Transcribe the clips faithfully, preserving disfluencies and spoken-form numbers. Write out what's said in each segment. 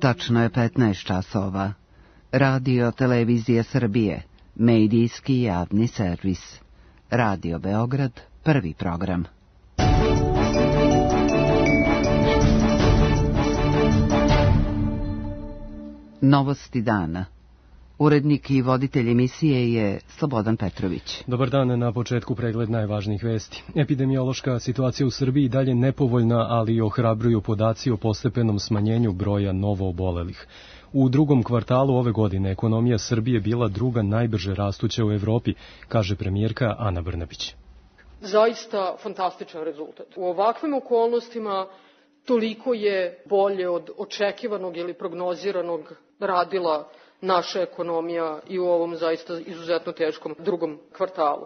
Tačno je petnaest časova. Radio Televizija Srbije, medijski javni servis. Radio Beograd, prvi program. Novosti dana. Urednik i voditelj emisije je Slobodan Petrović. Dobar dan, na početku pregled najvažnijih vesti. Epidemiološka situacija u Srbiji dalje nepovoljna, ali ohrabruju podaci o postepenom smanjenju broja novoobolelih. U drugom kvartalu ove godine ekonomija Srbije bila druga najbrže rastuća u Evropi, kaže premijerka Ana Brnabić. Zaista fantastičan rezultat. U ovakvim okolnostima toliko je bolje od očekivanog ili prognoziranog radila naša ekonomija i u ovom zaista izuzetno teškom drugom kvartalu.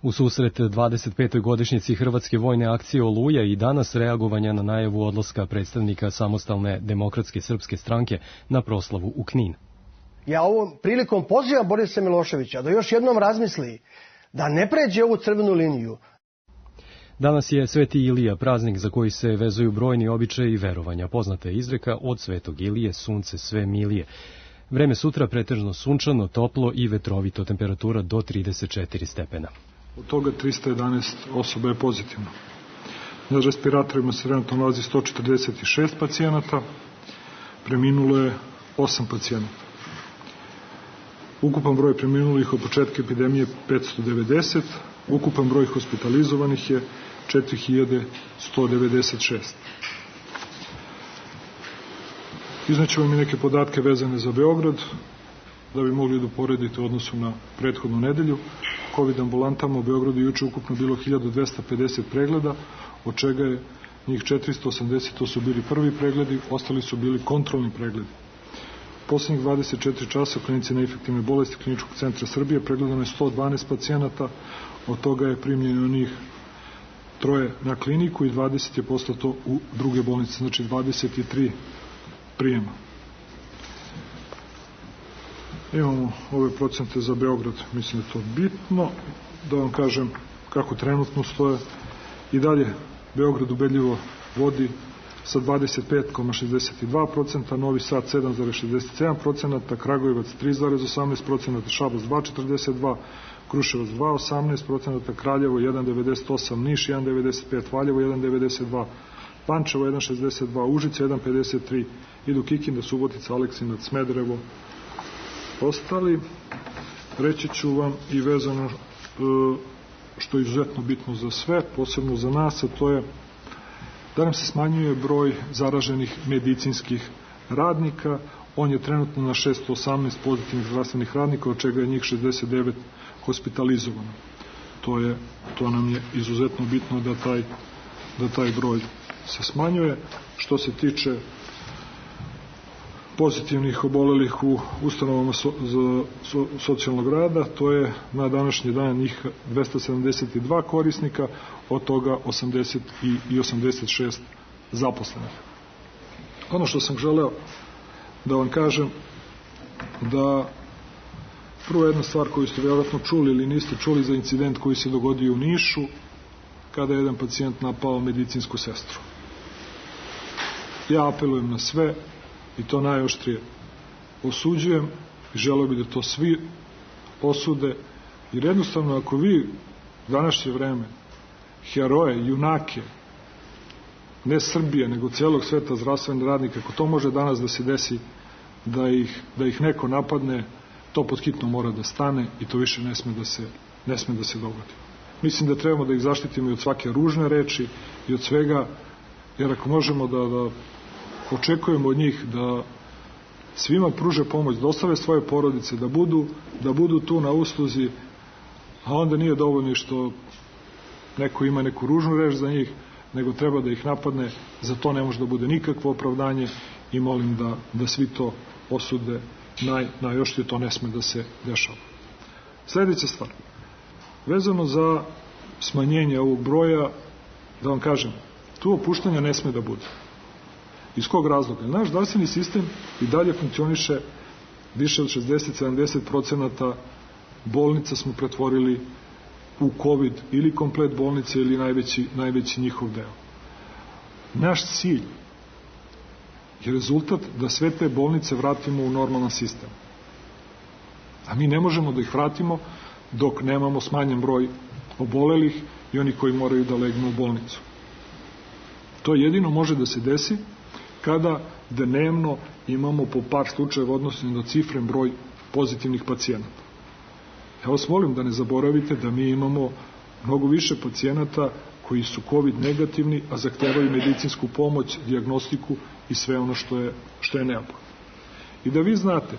U susret dvadeset petoj godišnjici Hrvatske vojne akcije Oluja i danas reagovanja na najavu odlaska predstavnika Samostalne demokratske srpske stranke na proslavu u Knin. Ja ovom prilikom pozivam Borisa Miloševića da još jednom razmisli da ne pređe ovu crvenu liniju. Danas je Sveti Ilija, praznik za koji se vezuju brojni običaji i verovanja. Poznata je izreka od Svetog Ilije sunce sve milije. Vreme sutra pretežno sunčano, toplo i vetrovito, temperatura do trideset četiri stepena. Od toga trista jedanaest osoba je pozitivno. Na respiratorima se trenutno nalazi sto četrdeset šest pacijenata, preminulo je osam pacijenata. Ukupan broj preminulih od početka epidemije petsto devedeset, ukupan broj hospitalizovanih je četiri hiljade sto devedeset šest. Izneću vam i neke podatke vezane za Beograd, da bi mogli da uporedite u odnosu na prethodnu nedelju. COVID ambulantama u Beogradu juče ukupno bilo hiljadu dvesta pedeset pregleda, od čega je njih četiristo osamdeset, to su bili prvi pregledi, ostali su bili kontrolni pregledi. U poslednjih dvadeset četiri časa u klinici na infektivne bolesti Kliničkog centra Srbije pregledano je sto dvanaest pacijenata, od toga je primljeno njih troje na kliniku i dvadeset je poslato u druge bolnice, znači dvadeset tri prijema. Imamo ove procente za Beograd, mislim da je to bitno, da vam kažem kako trenutno stoje. I dalje Beograd ubedljivo vodi sa dvadeset pet zarez šezdeset dva procenta, Novi Sad sedam zarez šezdeset sedam procenta, Kragujevac tri zarez osamnaest procenta, Šabac dva zarez četrdeset dva procenta, Kruševac dva zarez osamnaest procenta, Kraljevo jedan zarez devedeset osam, Niš jedan zarez devedeset pet, Valjevo jedan zarez devedeset dva, Pančevo jedan zarez šezdeset dva, Užice jedan zarez pedeset tri, idu Kikinda, Subotica, Aleksinac, Smederevo. Ostali, reći ću vam i vezano što je izuzetno bitno za sve, posebno za nas, a to je da nam se smanjuje broj zaraženih medicinskih radnika. On je trenutno na šesto osamnaest pozitivnih zdravstvenih radnika, od čega je njih šezdeset devet hospitalizovano. To je, to nam je izuzetno bitno da taj, da taj broj se smanjuje. Što se tiče pozitivnih obolelih u ustanovama so, za so, socijalnog rada, to je na današnji dan njih dvesta sedamdeset dva korisnika, od toga osamdeset i osamdeset šest zaposlenih. Ono što sam želeo da vam kažem, da prvo jedna stvar koju ste vjerojatno čuli ili niste čuli za incident koji se dogodio u Nišu, kada je jedan pacijent napao medicinsku sestru. Ja apelujem na sve i to najoštrije osuđujem i želeo bi da to svi osude, jer jednostavno ako vi u današnje vreme heroje, junake, ne Srbije, nego celog sveta zdravstvenih radnika, ako to može danas da se desi, da ih, da ih neko napadne, to pod hitno mora da stane i to više ne sme da se, ne sme da se dogodi. Mislim da trebamo da ih zaštitimo i od svake ružne reči i od svega, jer ako možemo da, da očekujemo od njih da svima pruže pomoć, da ostave svoje porodice, da budu, da budu tu na usluzi, a onda nije dovoljno što neko ima neku ružnu reč za njih, nego treba da ih napadne, za to ne može da bude nikakvo opravdanje i molim da, da svi to osude, naj, najoštrije to ne sme da se dešava. Sljedeća stvar, vezano za smanjenje ovog broja, da vam kažem, tu opuštanja ne sme da bude. Iz kog razloga? Naš zdravstveni sistem i dalje funkcioniše, više od šezdeset do sedamdeset procenta bolnica smo pretvorili u COVID ili komplet bolnice ili najveći, najveći njihov deo. Naš cilj je rezultat da sve te bolnice vratimo u normalan sistem. A mi ne možemo da ih vratimo dok nemamo smanjen broj obolelih i oni koji moraju da legnu u bolnicu. To jedino može da se desi kada dnevno imamo po par slučajeva odnosno do cifren broj pozitivnih pacijenata. Ja vas molim da ne zaboravite da mi imamo mnogo više pacijenata koji su COVID negativni, a zahtevaju medicinsku pomoć, dijagnostiku i sve ono što je, što je neophodno. I da vi znate,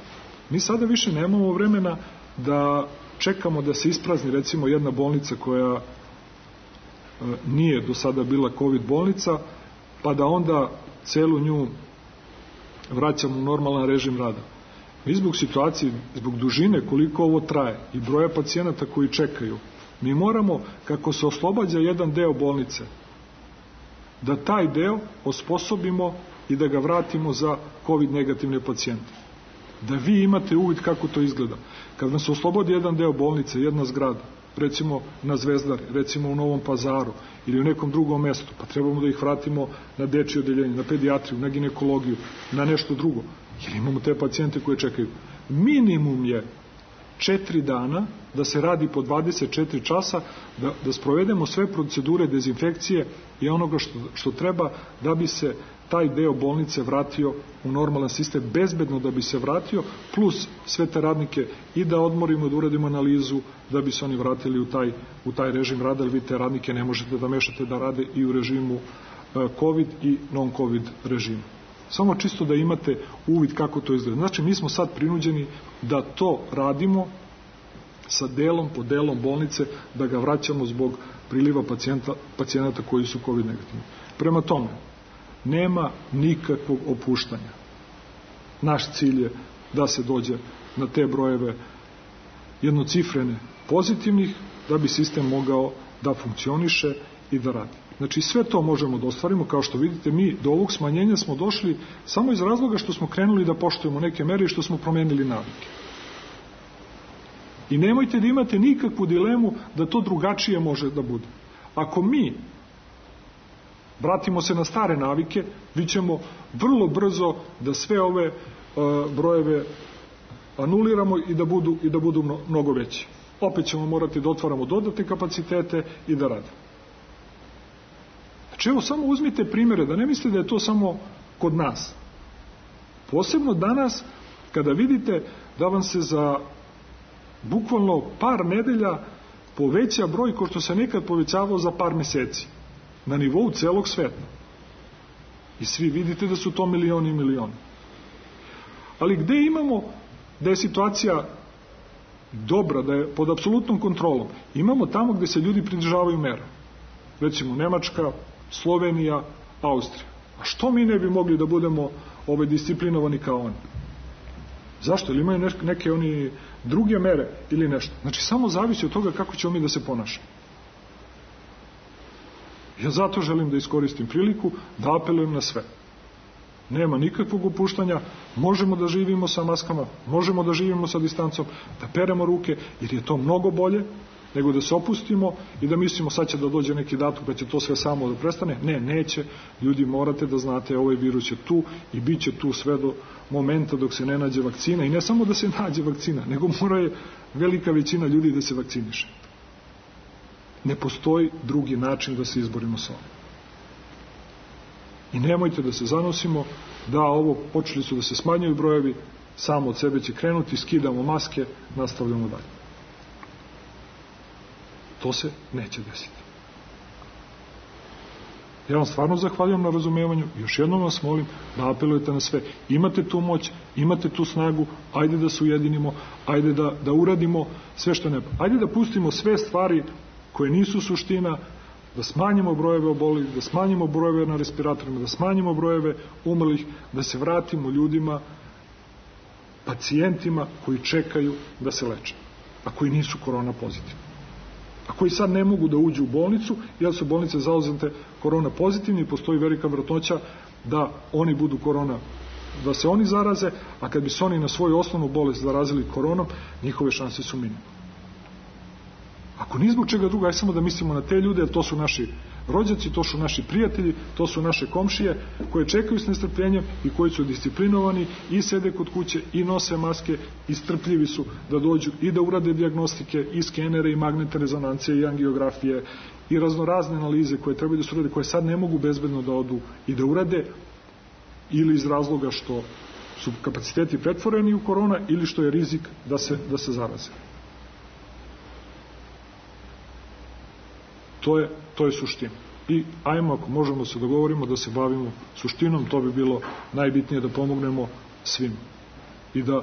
mi sada više nemamo vremena da čekamo da se isprazni recimo jedna bolnica koja e, nije do sada bila COVID bolnica, pa da onda celu nju vraćamo u normalan režim rada. Mi zbog situacije, zbog dužine koliko ovo traje i broja pacijenata koji čekaju, mi moramo, kako se oslobađa jedan deo bolnice, da taj deo osposobimo i da ga vratimo za COVID negativne pacijente. Da vi imate uvid kako to izgleda. Kad nam se oslobodi jedan deo bolnice, jedna zgrada, recimo na Zvezdari, recimo u Novom Pazaru ili u nekom drugom mestu, pa trebamo da ih vratimo na dečje odeljenje, na pedijatriju, na ginekologiju, na nešto drugo, jer imamo te pacijente koje čekaju. Minimum je četiri dana da se radi po dvadeset četiri časa, da, da sprovedemo sve procedure dezinfekcije i onoga što, što treba da bi se taj deo bolnice vratio u normalan sistem, bezbedno da bi se vratio, plus sve te radnike i da odmorimo, da uradimo analizu, da bi se oni vratili u taj, u taj režim rada, jer vi te radnike ne možete da mešate da rade i u režimu COVID i non-COVID režimu. Samo čisto da imate uvid kako to izgleda. Znači, mi smo sad prinuđeni da to radimo sa delom po delom bolnice, da ga vraćamo zbog priliva pacijenta, pacijenata koji su COVID negativni. Prema tome, nema nikakvog opuštanja. Naš cilj je da se dođe na te brojeve jednocifrene pozitivnih, da bi sistem mogao da funkcioniše i da radi. Znači, sve to možemo da ostvarimo. Kao što vidite, mi do ovog smanjenja smo došli samo iz razloga što smo krenuli da poštujemo neke mere i što smo promenili navike. I nemojte da imate nikakvu dilemu da to drugačije može da bude. Ako mi vratimo se na stare navike, vi ćemo vrlo brzo da sve ove uh, brojeve anuliramo i da budu, i da budu mnogo veći. Opet ćemo morati da otvaramo dodatne kapacitete i da radimo. Znači, evo, samo uzmite primjere, da ne mislite da je to samo kod nas. Posebno danas, kada vidite da vam se za bukvalno par nedelja poveća broj ko što se nekad povećavao za par meseci, na nivou celog sveta. I svi vidite da su to milioni i milioni. Ali gde imamo da je situacija dobra, da je pod apsolutnom kontrolom? Imamo tamo gde se ljudi pridržavaju mera. Recimo Nemačka, Slovenija, Austrija. A što mi ne bi mogli da budemo ove disciplinovani kao oni? Zašto? Ili imaju neke oni druge mere ili nešto? Znači, samo zavisi od toga kako ćemo mi da se ponašamo. Ja zato želim da iskoristim priliku da apelujem na sve. Nema nikakvog opuštanja, možemo da živimo sa maskama, možemo da živimo sa distancom, da peremo ruke, jer je to mnogo bolje nego da se opustimo i da mislimo sad će da dođe neki datum pa će to sve samo da prestane. Ne, neće. Ljudi, morate da znate, ovaj virus je tu i bit će tu sve do momenta dok se ne nađe vakcina. I ne samo da se nađe vakcina, nego mora je velika većina ljudi da se vakciniše. Ne postoji drugi način da se izborimo sa ovim. I nemojte da se zanosimo da ovo, počeli su da se smanjuju brojevi, samo od sebe će krenuti, skidamo maske, nastavljamo dalje. To se neće desiti. Ja vam stvarno zahvaljujem na razumevanju, još jednom vas molim da apelujete na sve. Imate tu moć, imate tu snagu, ajde da se ujedinimo, ajde da, da uradimo sve što ne. Ajde da pustimo sve stvari koje nisu suština, da smanjimo brojeve obolelih, da smanjimo brojeve na respiratorima, da smanjimo brojeve umrlih, da se vratimo ljudima, pacijentima koji čekaju da se leče, a koji nisu korona pozitivni, a koji sad ne mogu da uđu u bolnicu, jer su bolnice zauzete korona pozitivni i postoji velika vjerojatnoća da oni budu korona, da se oni zaraze, a kad bi se oni na svoju osnovnu bolest zarazili koronom, njihove šanse su minimum. Ako ni zbog čega druga, aj samo da mislimo na te ljude, jer to su naši rođaci, to su naši prijatelji, to su naše komšije koje čekaju s nestrpljenjem i koji su disciplinovani i sede kod kuće i nose maske i strpljivi su da dođu i da urade dijagnostike i skenere i magnetne rezonancije i angiografije i raznorazne analize koje trebaju da se urade, koje sad ne mogu bezbedno da odu i da urade, ili iz razloga što su kapaciteti pretvoreni u korona ili što je rizik da se, da se zaraze. To je, to je suština. I ajmo, ako možemo se dogovorimo da se bavimo suštinom, to bi bilo najbitnije, da pomognemo svima i da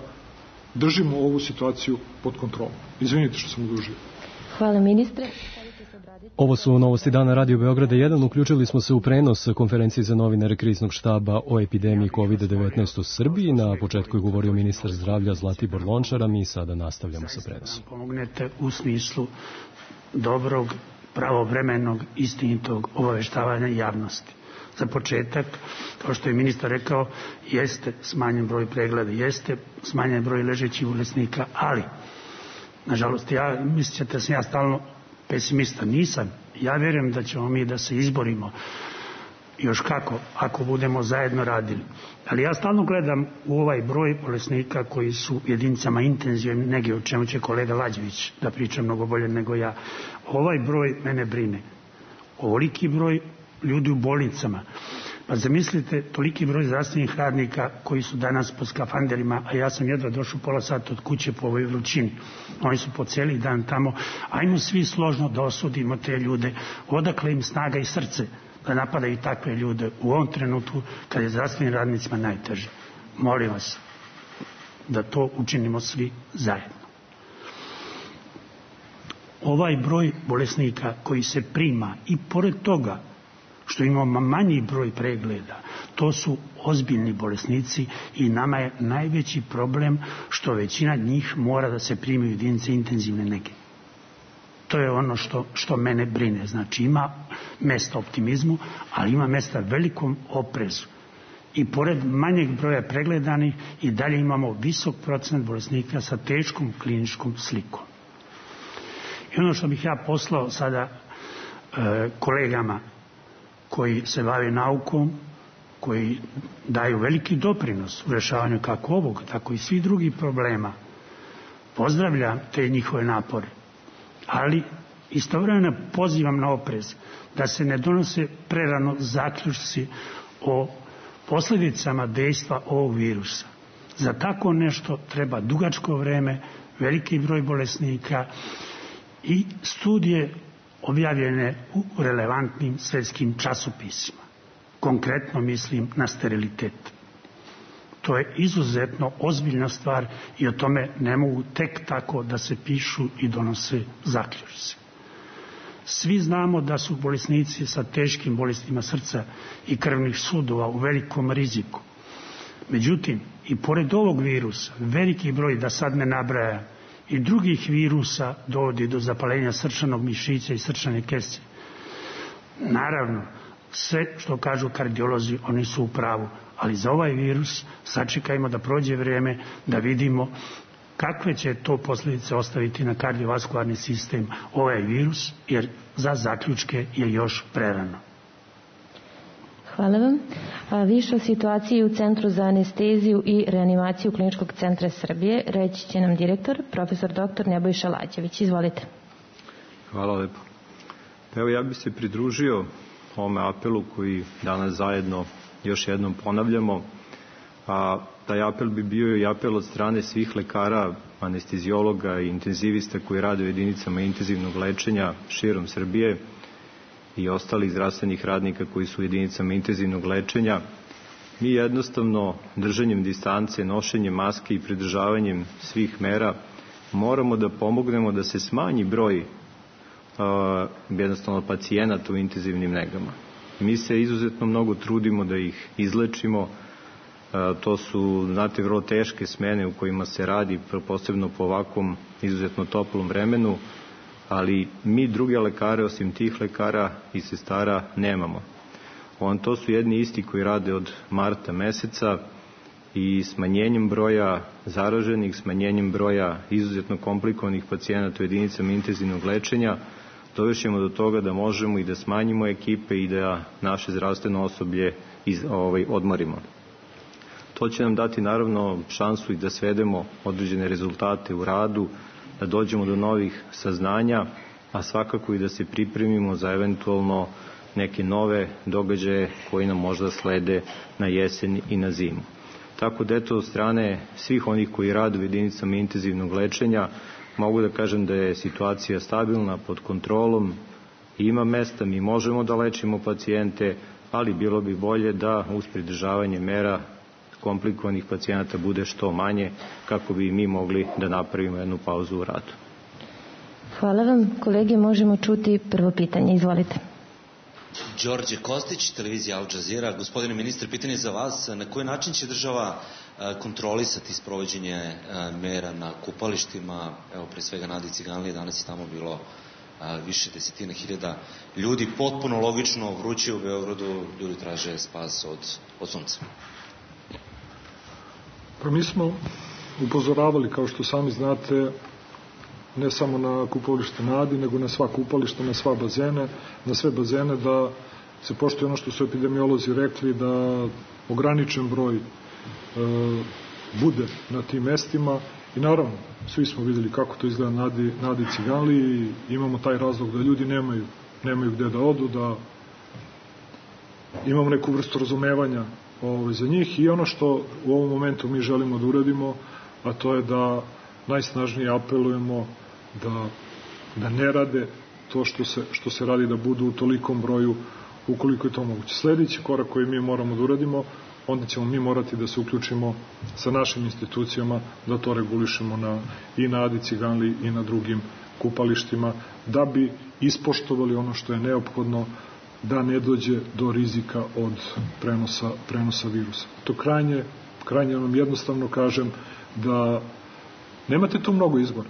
držimo ovu situaciju pod kontrolom. Izvinite što sam odužio. Hvala ministre. Ovo su novosti dana Radio Beograda jedan. Uključili smo se u prenos konferencije za novinare kriznog štaba o epidemiji kovid devetnaest u Srbiji. Na početku je govorio ministar zdravlja Zlatibor Lončar, a mi sada nastavljamo sa prenosom. Pomognete u smislu dobrog, pravovremenog, istinitog obaveštavanja javnosti. Za početak, kao što je ministar rekao, jeste smanjen broj pregleda, jeste smanjen broj ležećih bolesnika, ali, nažalost, ja mislite da sam ja stalno pesimista. Nisam. Ja vjerujem da ćemo mi da se izborimo još kako, ako budemo zajedno radili. Ali ja stalno gledam u ovaj broj bolesnika koji su u jedinicama intenzivne nege, o čemu će kolega Lađević da priča mnogo bolje nego ja. Ovaj broj mene brine. Ovoliki broj ljudi u bolnicama. Pa zamislite toliki broj zdravstvenih radnika koji su danas po skafanderima, a ja sam jedva došao pola sata od kuće po ovoj vrućini. Oni su po cijeli dan tamo. Ajmo svi složno da osudimo te ljude. Odakle im snaga i srce da napadaju takve ljude u ovom trenutku kad je zdravstvenim radnicima najteže. Molim vas da to učinimo svi zajedno. Ovaj broj bolesnika koji se prima i pored toga što imamo manji broj pregleda, to su ozbiljni bolesnici i nama je najveći problem što većina njih mora da se primi u jedinice intenzivne nege. To je ono što, što mene brine. Znači ima mesta optimizmu, ali ima mesta velikom oprezu. I pored manjeg broja pregledanih i dalje imamo visok procenat bolesnika sa teškom kliničkom slikom. I ono što bih ja poslao sada e, kolegama koji se bave naukom, koji daju veliki doprinos u rešavanju kako ovog, tako i svih drugih problema. Pozdravljam te njihove napore, ali istovremeno pozivam na oprez da se ne donose prerano zaključci o posljedicama dejstva ovog virusa. Za tako nešto treba dugačko vreme, veliki broj bolesnika i studije objavljene u relevantnim svjetskim časopisima. Konkretno mislim na sterilitet. To je izuzetno ozbiljna stvar i o tome ne mogu tek tako da se pišu i donose zaključci. Svi znamo da su bolesnici sa teškim bolestima srca i krvnih sudova u velikom riziku. Međutim, i pored ovog virusa, veliki broj, da sad ne nabraja, i drugih virusa dovodi do zapalenja srčanog mišića i srčane kese. Naravno, sve što kažu kardiolozi, oni su u pravu, ali za ovaj virus sačekajmo da prođe vrijeme, da vidimo kakve će to posljedice ostaviti na kardiovaskularni sistem ovaj virus, jer za zaključke je još prerano. Hvala vam. A više o situaciji u Centru za anesteziju i reanimaciju Kliničkog centra Srbije reći će nam direktor, profesor doktor Nebojša Lađević. Izvolite. Hvala lepo. Evo, ja bih se pridružio ovome apelu koji danas zajedno još jednom ponavljamo, a taj apel bi bio i apel od strane svih lekara, anestezijologa i intenzivista koji rade u jedinicama intenzivnog lečenja širom Srbije i ostalih zdravstvenih radnika koji su u jedinicama intenzivnog lečenja. Mi jednostavno držanjem distance, nošenjem maske i pridržavanjem svih mera moramo da pomognemo da se smanji broj uh, jednostavno pacijenata u intenzivnim negama. Mi se izuzetno mnogo trudimo da ih izlečimo. Uh, to su, znate, vrlo teške smene u kojima se radi, posebno po ovakvom izuzetno toplom vremenu, ali mi druge lekare, osim tih lekara i sestara, nemamo. On, to su jedni isti koji rade od marta meseca i smanjenjem broja zaraženih, smanjenjem broja izuzetno komplikovanih pacijenata u jedinicama intenzivnog lečenja, dovešćemo do toga da možemo i da smanjimo ekipe i da naše zdravstveno osoblje iz, ovaj, odmorimo. To će nam dati naravno šansu i da svedemo određene rezultate u radu, da dođemo do novih saznanja, a svakako i da se pripremimo za eventualno neke nove događaje koji nam možda slede na jesen i na zimu. Tako da eto, od strane svih onih koji rade u jedinicama intenzivnog lečenja, mogu da kažem da je situacija stabilna, pod kontrolom, ima mesta, mi možemo da lečimo pacijente, ali bilo bi bolje da uz pridržavanje mera komplikovanih pacijenata bude što manje, kako bi mi mogli da napravimo jednu pauzu u radu. Hvala vam. Kolege, možemo čuti prvo pitanje. Izvolite. Đorđe Kostić, televizija Al Jazeera. Gospodine ministre, pitanje za vas. Na koji način će država kontrolisati sprovođenje mera na kupalištima? Evo, pre svega Nadi Ciganlije, danas je tamo bilo više desetina hiljada ljudi. Potpuno logično, vruće u Beogradu, ljudi traže spas od, od sunca. Pa mi smo upozoravali, kao što sami znate, ne samo na kupalište Nadi, nego na sva kupališta, na sva bazene, na sve bazene, da se poštuje ono što su epidemiolozi rekli, da ograničen broj e, bude na tim mestima. I naravno, svi smo videli kako to izgleda Nadi, Nadi Ciganli i imamo taj razlog da ljudi nemaju, nemaju gde da odu, da imamo neku vrstu razumevanja ovaj, za njih. I ono što u ovom momentu mi želimo da uradimo, a to je da najsnažnije apelujemo da, da ne rade to što se, što se radi, da budu u tolikom broju ukoliko je to moguće. Sledeći korak koji mi moramo da uradimo, onda ćemo mi morati da se uključimo sa našim institucijama, da to regulišemo na, i na Adi Ciganli i na drugim kupalištima, da bi ispoštovali ono što je neophodno, da ne dođe do rizika od prenosa, prenosa virusa. To krajnje, krajnje vam jednostavno kažem da nemate tu mnogo izbora.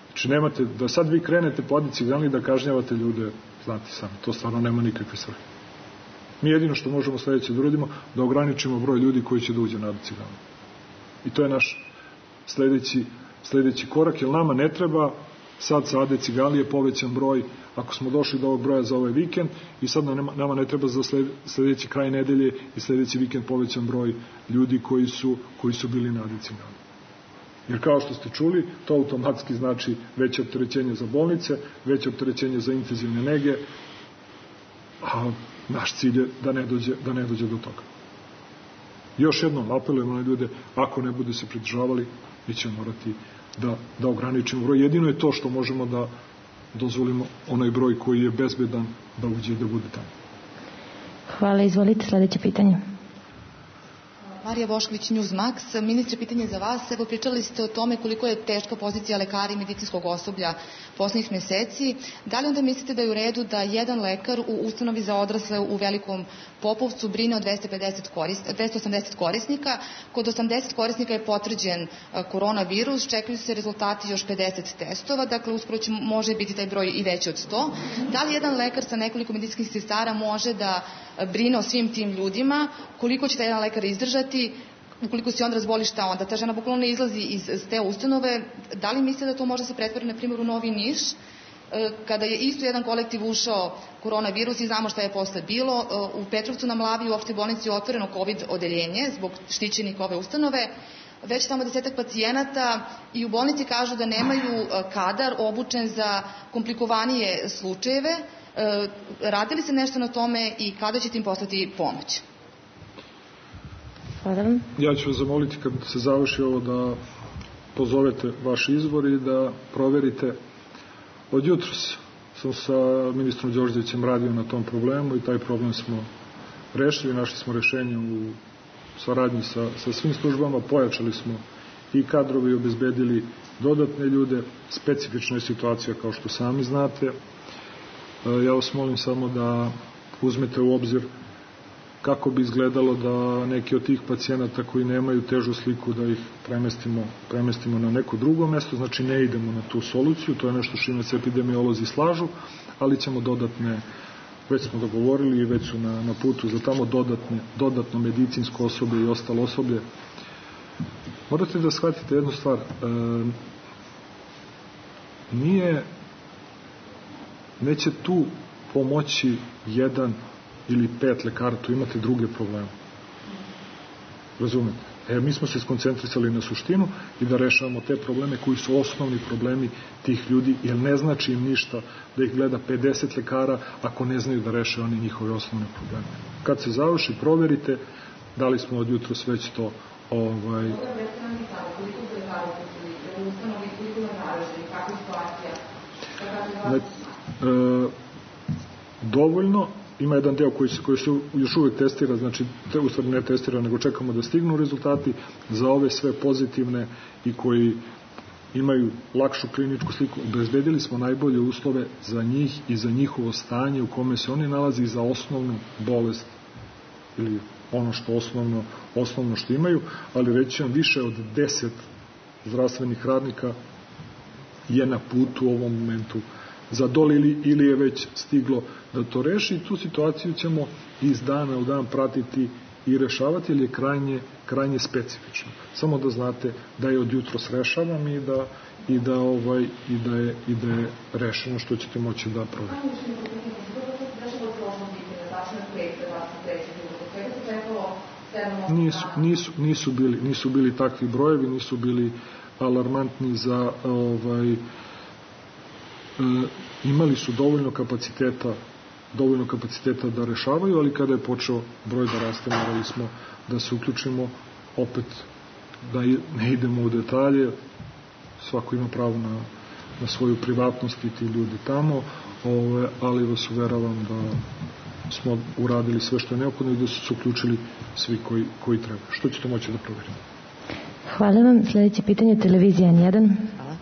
Znači nemate, da sad vi krenete po Adi Ciganli da kažnjavate ljude, znate sami, to stvarno nema nikakve svrhe. Mi jedino što možemo sledeće da uradimo, da ograničimo broj ljudi koji će da uđe na Adi Ciganli. I to je naš sledeći, sledeći korak, jer nama ne treba sad sa Ade Ciganli je povećan broj, ako smo došli do ovog broja za ovaj vikend, i sad nama, nama ne treba za sledeći kraj nedelje i sledeći vikend povećan broj ljudi koji su, koji su bili na Adi Ciganli. Jer kao što ste čuli, to automatski znači veće opterećenje za bolnice, veće opterećenje za intenzivne nege, a naš cilj je da ne dođe, da ne dođe do toga. Još jednom apelujemo na ljude, ako ne bude se pridržavali, mi ćemo morati da, da ograničimo broj. Jedino je to što možemo da dozvolimo onaj broj koji je bezbedan da uđe i da bude tamo. Hvala, izvolite sledeće pitanje. Marija Bošković, Newsmax. Ministre, pitanje za vas. Evo, pričali ste o tome koliko je teška pozicija lekara i medicinskog osoblja poslednjih meseci. Da li onda mislite da je u redu da jedan lekar u ustanovi za odrasle u Velikom Popovcu brine o dvesta pedeset korisnika, dvesta osamdeset korisnika? Kod osamdeset korisnika je potvrđen koronavirus, čekaju se rezultati još pedeset testova, dakle uskoro će, može biti taj broj i veći od sto. Da li jedan lekar sa nekoliko medicinskih sestara može da brine o svim tim ljudima? Koliko će taj jedan lekar izdržati? Ukoliko se on razboli, šta onda? Ta žena bukvalno ne izlazi iz, iz te ustanove. Da li mislite da to može se pretvori, na primjer, u Novi Niš, kada je isto jedan kolektiv ušao koronavirus i znamo šta je posle bilo? U Petrovcu na Mlavi u opštoj bolnici je otvoreno COVID odeljenje zbog štićenika ove ustanove, već tamo desetak pacijenata i u bolnici kažu da nemaju kadar obučen za komplikovanije slučajeve. Radi li se nešto na tome i kada ćete im poslati pomoć? Ja ću vas zamoliti kad se završi ovo da pozovete vaš izbor i da proverite. Od jutros sam sa ministrom Đorđevićem radio na tom problemu i taj problem smo rešili, našli smo rešenje u saradnji sa, sa svim službama, pojačali smo i kadrovi, obezbedili dodatne ljude, specifična je situacija kao što sami znate. Ja vas molim samo da uzmete u obzir kako bi izgledalo da neki od tih pacijenata koji nemaju težu sliku da ih premestimo, premestimo na neko drugo mesto, znači ne idemo na tu soluciju, to je nešto što se epidemiolozi slažu, ali ćemo dodatne, već smo dogovorili i već su na, na putu za tamo dodatne, dodatno medicinsko osoblje i ostalo osoblje. Morate da shvatite jednu stvar. E, nije, neće tu pomoći jedan ili pet lekara, tu imate druge probleme. Razumete? E, mi smo se skoncentrisali na suštinu i da rešavamo te probleme koji su osnovni problemi tih ljudi, jer ne znači im ništa da ih gleda pedeset lekara ako ne znaju da reše oni njihove osnovne probleme. Kad se završi, proverite da li smo od jutro već to ovaj... Ne, e, dovoljno. Ima jedan deo koji se, koji se još uvek testira, znači te u stvari ne testira, nego čekamo da stignu rezultati za ove sve pozitivne i koji imaju lakšu kliničku sliku. Obezbedili smo najbolje uslove za njih i za njihovo stanje u kome se oni nalazi za osnovnu bolest ili ono što osnovno, osnovno što imaju, ali reći vam više od deset zdravstvenih radnika je na putu u ovom momentu za dole ili, ili je već stiglo da to reši i tu situaciju ćemo iz dana u dan pratiti i rešavati, jer je krajnje, krajnje specifično. Samo da znate da je od jutros rešavam i da, i da, ovaj, i da, je, i da je rešeno što ćete moći da proverite. Nisu, nisu, nisu, bili, nisu bili takvi brojevi, nisu bili alarmantni za ovaj, E, imali su dovoljno kapaciteta dovoljno kapaciteta da rešavaju, ali kada je počeo broj da raste, morali smo da se uključimo opet, da ne idemo u detalje, svako ima pravo na, na svoju privatnost i ti ljudi tamo, ove, ali vas uveravam da smo uradili sve što je neophodno i da su se uključili svi koji, koji treba. Što ćete moći da proverite? Hvala vam. Sljedeće pitanje, televizija N jedan. Hvala.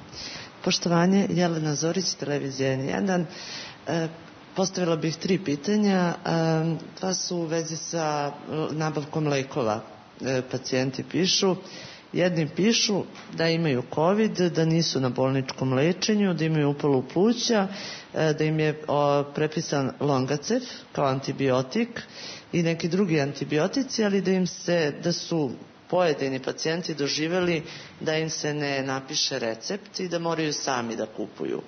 Poštovanje, Jelena Zorić, televizija N jedan. E, postavila bih tri pitanja. E, dva su u vezi sa nabavkom lekova. E, pacijenti pišu. Jedni pišu da imaju COVID, da nisu na bolničkom lečenju, da imaju upalu pluća, e, da im je o, prepisan Longacef kao antibiotik i neki drugi antibiotici, ali da im se, da su pojedini pacijenti doživjeli da im se ne napiše recept i da moraju sami da kupuju.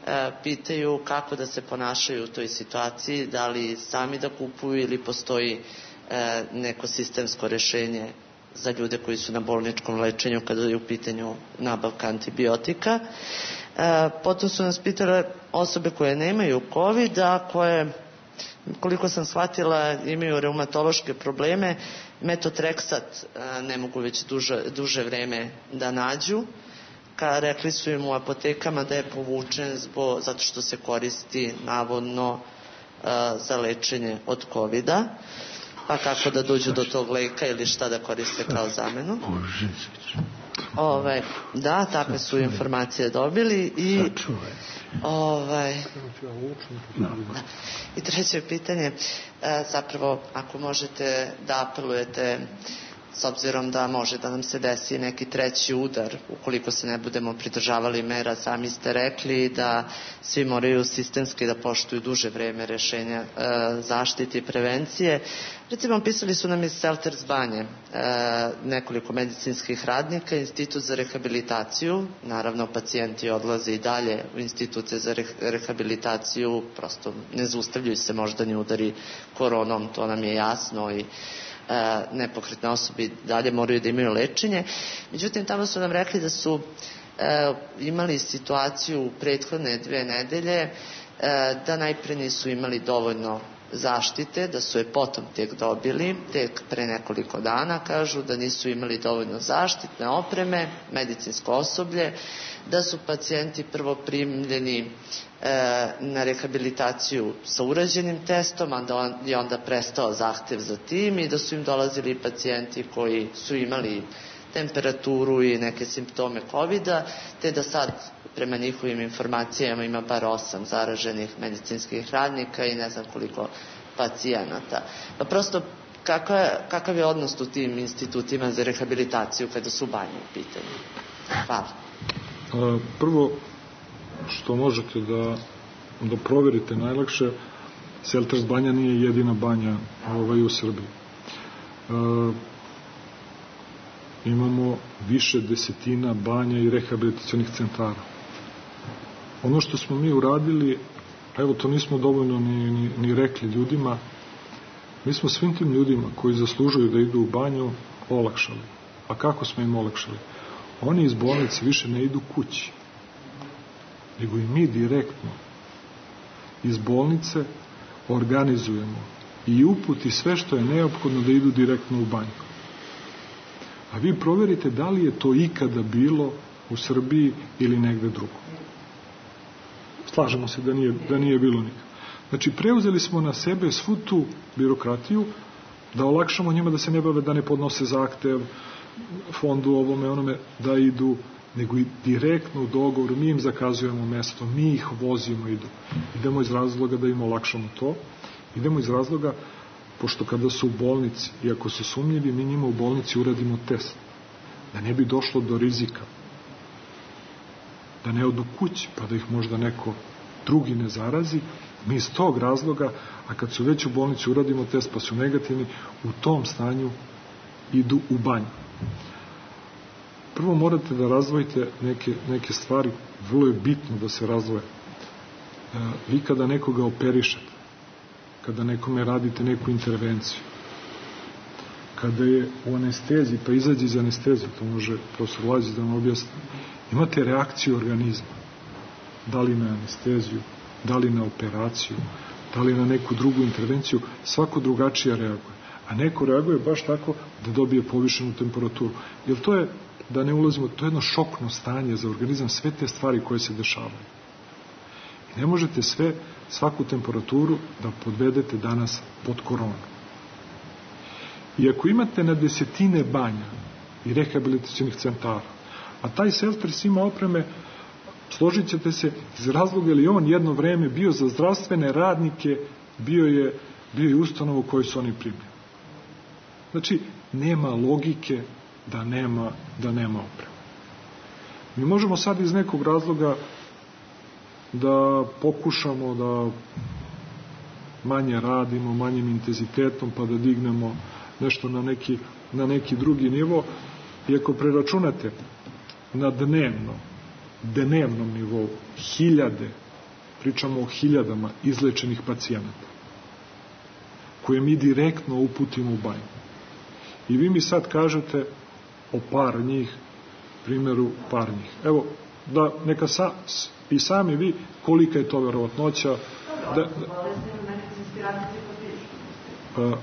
E, pitaju kako da se ponašaju u toj situaciji, da li sami da kupuju ili postoji e, neko sistemsko rešenje za ljude koji su na bolničkom lečenju kada je u pitanju nabavka antibiotika. E, potom su nas pitale osobe koje nemaju COVID, a koje, koliko sam shvatila, imaju reumatološke probleme, metotreksat ne mogu već duže, duže vreme da nađu. Ka, rekli su im u apotekama da je povučen zbog, zato što se koristi navodno a, za lečenje od COVID-a. Pa kako da dođu do tog leka ili šta da koriste kao zamenu. Ove, da, takve su informacije dobili i ovaj, da. I treće pitanje, e, zapravo ako možete da apelujete, s obzirom da može da nam se desi neki treći udar ukoliko se ne budemo pridržavali mera, sami ste rekli da svi moraju sistemski da poštuju duže vreme rešenja e, zaštite i prevencije. Recimo, pisali su nam iz Selters banje e, nekoliko medicinskih radnika, institut za rehabilitaciju, naravno pacijenti odlaze i dalje u institute za rehabilitaciju, prosto ne zaustavljaju se moždani udari koronom, to nam je jasno, i e, nepokretne osobe dalje moraju da imaju lečenje. Međutim, tamo su nam rekli da su e, imali situaciju u prethodne dve nedelje e, da najpre nisu imali dovoljno zaštite, da su je potom tek dobili, tek pre nekoliko dana, kažu da nisu imali dovoljno zaštitne opreme, medicinsko osoblje, da su pacijenti prvo primljeni e, na rehabilitaciju sa urađenim testom, a da on, je onda prestao zahtev za tim, i da su im dolazili pacijenti koji su imali temperaturu i neke simptome COVID-a, te da sad prema njihovim informacijama ima bar osam zaraženih medicinskih radnika i ne znam koliko pacijenata. Pa prosto, kakav je, kakav je odnos u tim institutima za rehabilitaciju kada su banje u pitanju? Hvala. A, prvo, što možete da, da proverite najlakše, Selters banja nije jedina banja ovaj, u Srbiji. E, imamo više desetina banja i rehabilitacionih centara. Ono što smo mi uradili, evo to nismo dovoljno ni, ni, ni rekli ljudima, mi smo svim tim ljudima koji zaslužuju da idu u banju olakšali. A kako smo im olakšali? Oni iz bolnice više ne idu kući, nego i mi direktno iz bolnice organizujemo i uputi sve što je neophodno da idu direktno u banju. A vi proverite da li je to ikada bilo u Srbiji ili negde drugo. Slažemo se da nije, da nije bilo nikada. Znači, preuzeli smo na sebe svu tu birokratiju da olakšamo njima da se ne bave, da ne podnose zahtev fondu ovome, onome, da idu, nego i direktno u dogovoru, mi im zakazujemo mesto, mi ih vozimo, idu. Idemo iz razloga da im olakšamo to, idemo iz razloga, pošto kada su u bolnici, i ako su sumnjivi, mi njima u bolnici uradimo test, da ne bi došlo do rizika, da ne odu kući, pa da ih možda neko drugi ne zarazi, mi iz tog razloga, a kad su već u bolnici uradimo test pa su negativni, u tom stanju idu u banju. Prvo morate da razdvojite neke, neke stvari, vrlo je bitno da se razdvoje. E, vi kada nekoga operišete, kada nekome radite neku intervenciju, kada je u anesteziji, pa izađe iz anestezije, to može profesor Lađić da vam objasni, imate reakciju organizma, da li na anesteziju, da li na operaciju, da li na neku drugu intervenciju, svako drugačije reaguje. A neko reaguje baš tako da dobije povišenu temperaturu. Jer to je, da ne ulazimo, to je jedno šokno stanje za organizam, sve te stvari koje se dešavaju. I ne možete sve, svaku temperaturu da podvedete danas pod koronu. I ako imate na desetine banja i rehabilitacionih centara, a taj Selters ima opreme, složit ćete se, iz razloga jer je on jedno vreme bio za zdravstvene radnike, bio je, bio je ustanovu koju su oni primili. Znači, nema logike da nema, da nema opreme. Mi možemo sad iz nekog razloga da pokušamo da manje radimo, manjim intenzitetom, pa da dignemo nešto na neki, na neki drugi nivo. I ako preračunate na dnevno, dnevnom nivou, hiljade, pričamo o hiljadama izlečenih pacijenata, koje mi direktno uputimo u banju. I vi mi sad kažete o par njih, primjeru par njih. Evo, da neka sa, i sami vi, kolika je to verovatnoća. Da, da, a,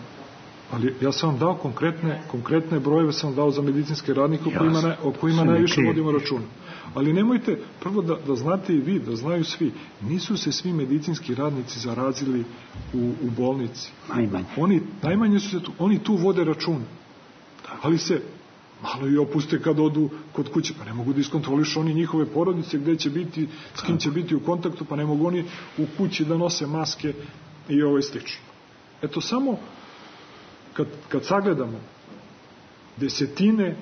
ali ja sam vam dao konkretne, konkretne brojeve, sam vam dao za medicinske radnike o kojima, ne, o kojima najviše vodimo računa. Ali nemojte, prvo da, da znate i vi, da znaju svi, nisu se svi medicinski radnici zarazili u, u bolnici. Najmanje. Oni, najmanje su se tu, oni tu vode račun. Ali se malo i opuste kad odu kod kuće, pa ne mogu da iskontrolišu oni njihove porodice, gde će biti, s kim će biti u kontaktu, pa ne mogu oni u kući da nose maske i ovo je slično. Eto, samo kad, kad sagledamo desetine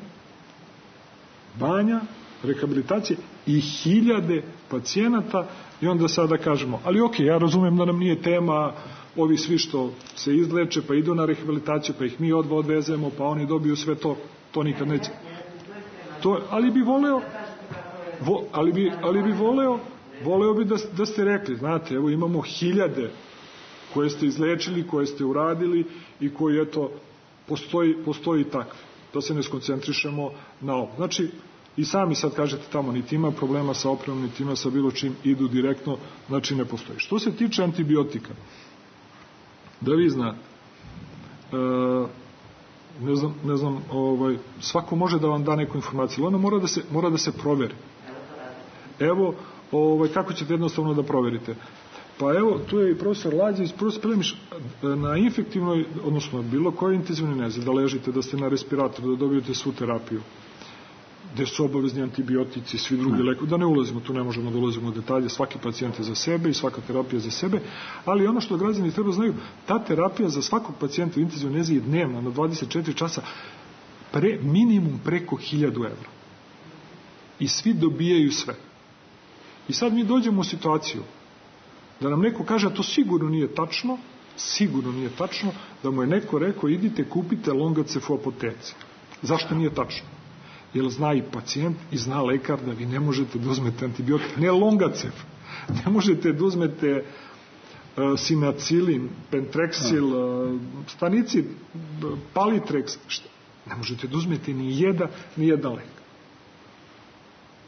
banja, rehabilitacije i hiljade pacijenata i onda sada kažemo, ali ok, ja razumem da nam nije tema ovi svi što se izleče, pa idu na rehabilitaciju, pa ih mi odva odvezemo, pa oni dobiju sve to, to nikad neće. To, ali bi voleo, vo, ali bi, ali bi voleo, voleo bi da, da ste rekli, znate, evo imamo hiljade koje ste izlečili, koje ste uradili i koji, eto, postoji, postoji takve. Da se ne skoncentrišemo na ovo. Znači, i sami sad kažete tamo, niti ima problema sa opremom, niti ima sa bilo čim, idu direktno, znači ne postoji. Što se tiče antibiotika, da vi znate, e, ne znam, ne znam ovaj, svako može da vam da neku informaciju, ali ona mora da se, mora da se proveri. Evo, ovaj, kako ćete jednostavno da proverite? Pa evo, tu je i profesor Lađić, profesor Plemiš, na infektivnoj, odnosno bilo koje intenzivnoj nezi, da ležite, da ste na respiratoru, da dobijete svu terapiju, gde su obavezni antibiotici, svi drugi lekovi, da ne ulazimo, tu ne možemo da ulazimo u detalje, svaki pacijent je za sebe i svaka terapija za sebe, ali ono što građani treba znaju, ta terapija za svakog pacijenta u intenzivnoj nezi je dnevna, na dvadeset četiri časa, pre, minimum preko hiljadu evra. I svi dobijaju sve. I sad mi dođemo u situaciju da nam neko kaže, a to sigurno nije tačno, sigurno nije tačno, da mu je neko rekao, idite kupite Longacef u apoteci. Zašto nije tačno? Jer zna i pacijent i zna lekar da vi ne možete da uzmete antibiotik, ne Longacef, ne možete da uzmete uh, sinacilin, pentrexil, uh, stanici, palitrex, šta? Ne možete da uzmete ni jedan, ni jedan lek.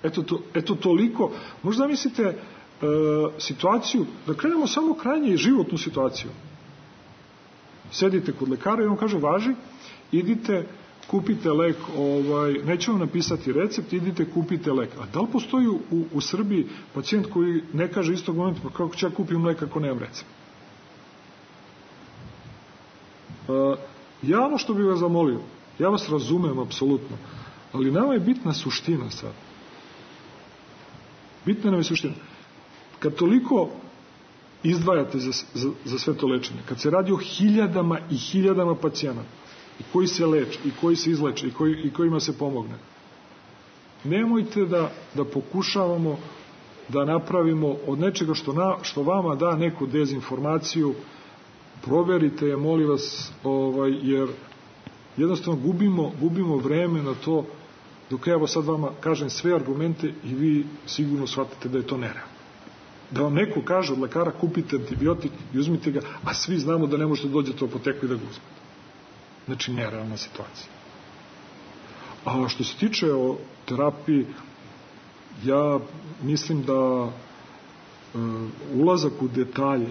Eto, to, eto toliko. Možda mislite uh, situaciju, da krenemo samo krajnje životnu situaciju. Sedite kod lekara i on kaže, važi, idite, kupite lek, ovaj, neće vam napisati recept, idite, kupite lek. A da li postoji u, u Srbiji pacijent koji ne kaže istog momenta, pa kako ću ja kupim lek ako nemam recept? Uh, ja ono što bih vas zamolio, ja vas razumem apsolutno, ali nama je bitna suština sad. Bitna nam je suština. Kad toliko izdvajate za, za, za sve to lečenje, kad se radi o hiljadama i hiljadama pacijenata, i koji se leče, i koji se izleče, i, koji, i kojima se pomogne, nemojte da, da pokušavamo da napravimo od nečega što, na, što vama da neku dezinformaciju, proverite je, molim vas, ovaj, jer jednostavno gubimo, gubimo vreme na to, dok evo sad vama kažem sve argumente i vi sigurno shvatite da je to nerealno. Da vam neko kaže od lekara kupite antibiotik i uzmite ga, a svi znamo da ne možete dođete u apoteku i da ga uzmete. Znači, nerealna situacija. A što se tiče o terapiji, ja mislim da uh, ulazak u detalje,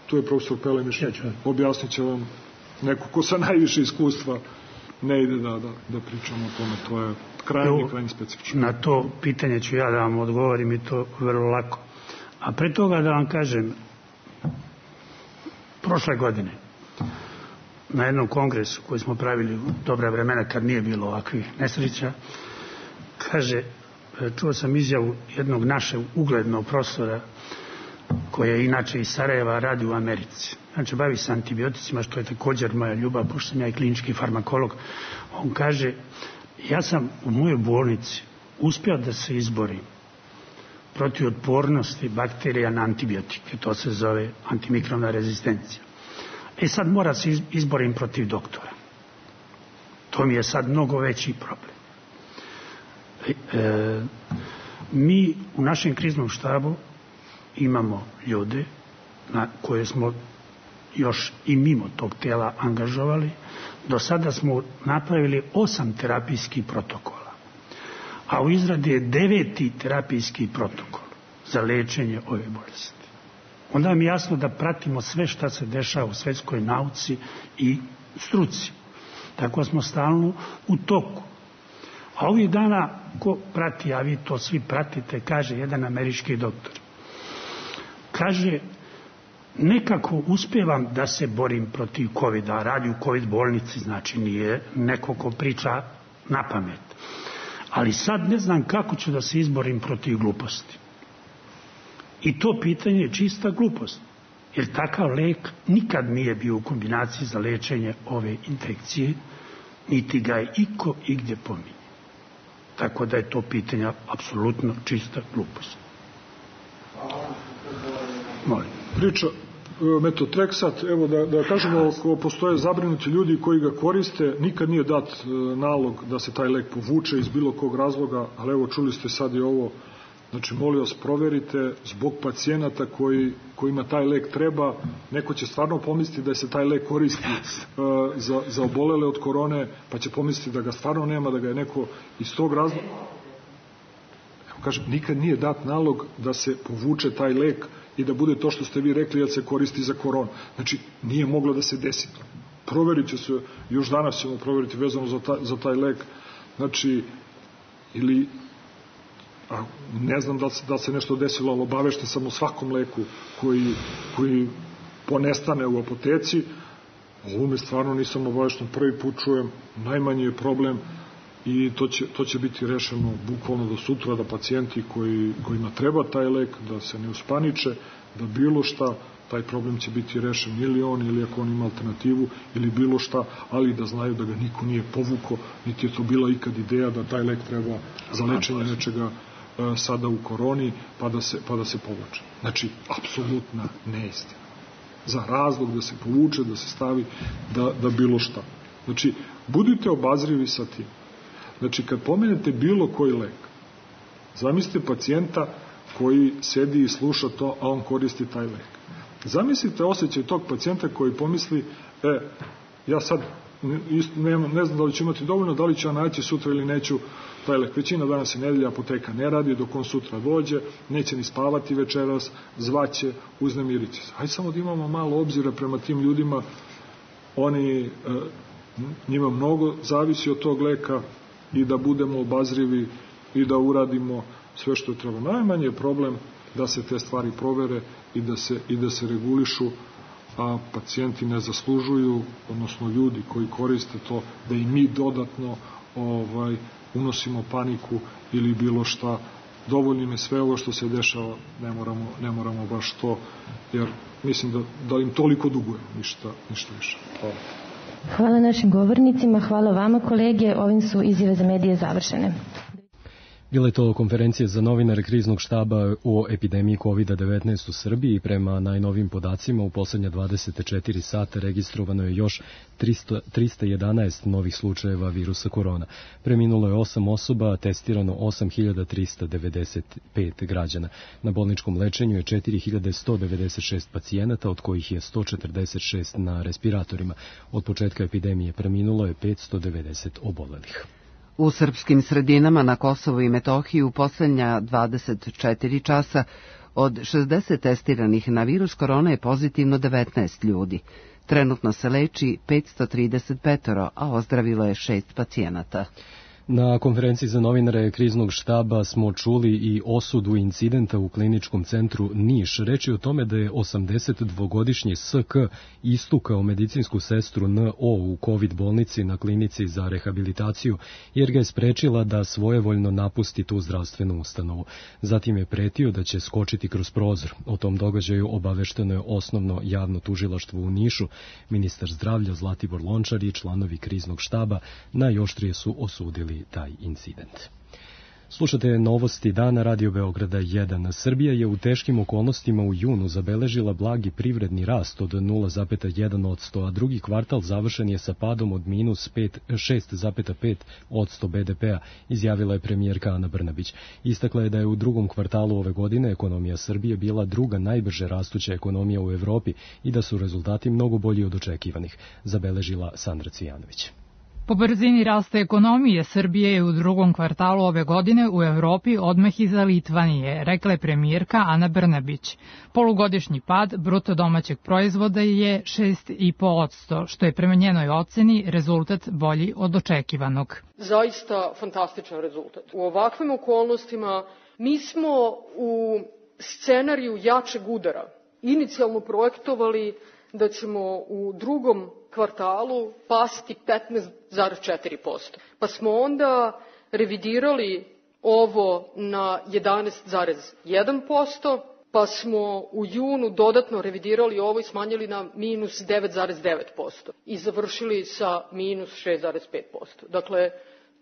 tu je profesor Pelemiš, objasnit će vam neko ko sa najviše iskustva ne ide da, da, da pričamo o tome, to je krajnje, krajnje specifično. Na to pitanje ću ja da vam odgovorim i to vrlo lako. A pre toga da vam kažem, prošle godine, na jednom kongresu koji smo pravili u dobra vremena kad nije bilo ovakvih nesreća, kaže, čuo sam izjavu jednog našeg uglednog profesora koji je inače iz Sarajeva, radi u Americi. Znači, bavi se antibioticima, što je također moja ljubav, pošto sam ja i klinički farmakolog. On kaže, ja sam u mojoj bolnici uspio da se izborim protiv otpornosti bakterija na antibiotike. To se zove antimikrobna rezistencija. E sad mora se izborim protiv doktora. To mi je sad mnogo veći problem. E, e, mi u našem kriznom štabu imamo ljude na koje smo još i mimo tog tela angažovali. Do sada smo napravili osam terapijskih protokola, a u izradi je deveti terapijski protokol za lečenje ove bolesti. Onda mi je jasno da pratimo sve šta se dešava u svetskoj nauci i struci. Tako smo stalno u toku. A ovih dana, ko prati, a vi to svi pratite, kaže jedan američki doktor. Kaže, nekako uspevam da se borim protiv kovida, radi u covid bolnici, znači nije neko ko priča na pamet. Ali sad ne znam kako ću da se izborim protiv gluposti. I to pitanje je čista glupost, jer takav lek nikad nije bio u kombinaciji za lečenje ove infekcije, niti ga je iko igdje pominje. Tako da je to pitanje apsolutno čista glupost. Molim. Priča Metotrexat, evo da, da kažemo, ako postoje zabrinuti ljudi koji ga koriste, nikad nije dat nalog da se taj lek povuče iz bilo kog razloga, ali evo čuli ste sad i ovo, znači molim vas proverite zbog pacijenata koji, kojima taj lek treba, neko će stvarno pomisliti da se taj lek koristi uh, za, za obolele od korone, pa će pomisliti da ga stvarno nema, da ga je neko iz tog razloga. Evo kažem, nikad nije dat nalog da se povuče taj lek i da bude to što ste vi rekli, jer se koristi za koronu. Znači, nije moglo da se desi to. Proverit će se, još danas ćemo proveriti vezano za taj, za taj lek, znači, ili, a, ne znam da se, da se nešto desilo, ali obavešten sam o svakom leku koji, koji ponestane u apoteci. Ovome stvarno nisam obavešten, prvi put čujem, najmanji je problem i to će, to će biti rešeno bukvalno do sutra, da pacijenti koji, kojima treba taj lek, da se ne uspaniče, da bilo šta, taj problem će biti rešen ili on, ili ako on ima alternativu, ili bilo šta, ali da znaju da ga niko nije povuko, niti je to bila ikad ideja da taj lek treba za lečenje nečega sada u koroni, pa da se, pa da se povuče. Znači, apsolutna neistina. Za razlog da se povuče, da se stavi, da, da bilo šta. Znači, budite obazrivi sa tim. Znači, kad pomenete bilo koji lek, zamislite pacijenta koji sedi i sluša to, a on koristi taj lek. Zamislite osjećaj tog pacijenta koji pomisli, e, ja sad ne, ne znam da li ću imati dovoljno, da li ću ja naći sutra ili neću taj lek. Većina danas je nedelja, apoteka ne radi, dok on sutra dođe, neće ni spavati večeras, zvaće, uznemiriće se. Hajde samo da imamo malo obzira prema tim ljudima, oni, njima mnogo zavisi od tog leka i da budemo obazrivi i da uradimo sve što treba. Najmanje je problem da se te stvari provere i da se, i da se regulišu, a pacijenti ne zaslužuju, odnosno ljudi koji koriste to, da i mi dodatno ovaj, unosimo paniku ili bilo šta. Dovoljno je sve ovo što se dešava, ne moramo, ne moramo baš to, jer mislim da, da im toliko dugujemo, ništa, ništa više. Hvala. Hvala našim govornicima, hvala vama kolege, ovim su izjave za medije završene. Bila je to konferencija za novinare kriznog štaba o epidemiji kovid devetnaest u Srbiji. Prema najnovim podacima u poslednja dvadeset četiri sata registrovano je još trista jedanaest novih slučajeva virusa korona. Preminulo je osam osoba, testirano osam hiljada trista devedeset pet građana. Na bolničkom lečenju je četiri hiljade sto devedeset šest pacijenata, od kojih je sto četrdeset šest na respiratorima. Od početka epidemije preminulo je petsto devedeset obolelih. U srpskim sredinama na Kosovu i Metohiji u poslednja dvadeset četiri časa od šezdeset testiranih na virus korona je pozitivno devetnaest ljudi. Trenutno se leči petsto trideset pet, a ozdravilo je šest pacijenata. Na konferenciji za novinare kriznog štaba smo čuli i osudu incidenta u kliničkom centru Niš. Reč je o tome da je osamdesetdvogodišnji S K istukao medicinsku sestru N O u COVID bolnici na klinici za rehabilitaciju, jer ga je sprečila da svojevoljno napusti tu zdravstvenu ustanovu. Zatim je pretio da će skočiti kroz prozor. O tom događaju obavešteno je osnovno javno tužilaštvo u Nišu. Ministar zdravlja Zlatibor Lončar i članovi kriznog štaba najoštrije su osudili taj incident. Slušate novosti dana Radio Beograda jedan. Srbija je u teškim okolnostima u junu zabeležila blagi privredni rast od nula zarez jedan posto, a drugi kvartal završen je sa padom od minus šest zarez pet posto be de pea, izjavila je premijerka Ana Brnabić. Istakla je da je u drugom kvartalu ove godine ekonomija Srbije bila druga najbrže rastuća ekonomija u Evropi i da su rezultati mnogo bolji od očekivanih, zabeležila Sandra Cvijanović. Po brzini rasta ekonomije, Srbije je u drugom kvartalu ove godine u Evropi odmah iza Litvanije, rekla je premijerka Ana Brnabić. Polugodišnji pad bruto domaćeg proizvoda je šest zarez pet posto, što je prema njenoj oceni rezultat bolji od očekivanog. Zaista fantastičan rezultat. U ovakvim okolnostima mi smo u scenariju jačeg udara inicijalno projektovali da ćemo u drugom kvartalu pasti petnaest zarez četiri posto. Pa smo onda revidirali ovo na jedanaest zarez jedan posto, pa smo u junu dodatno revidirali ovo i smanjili na minus devet zarez devet posto i završili sa minus šest zarez pet posto. Dakle,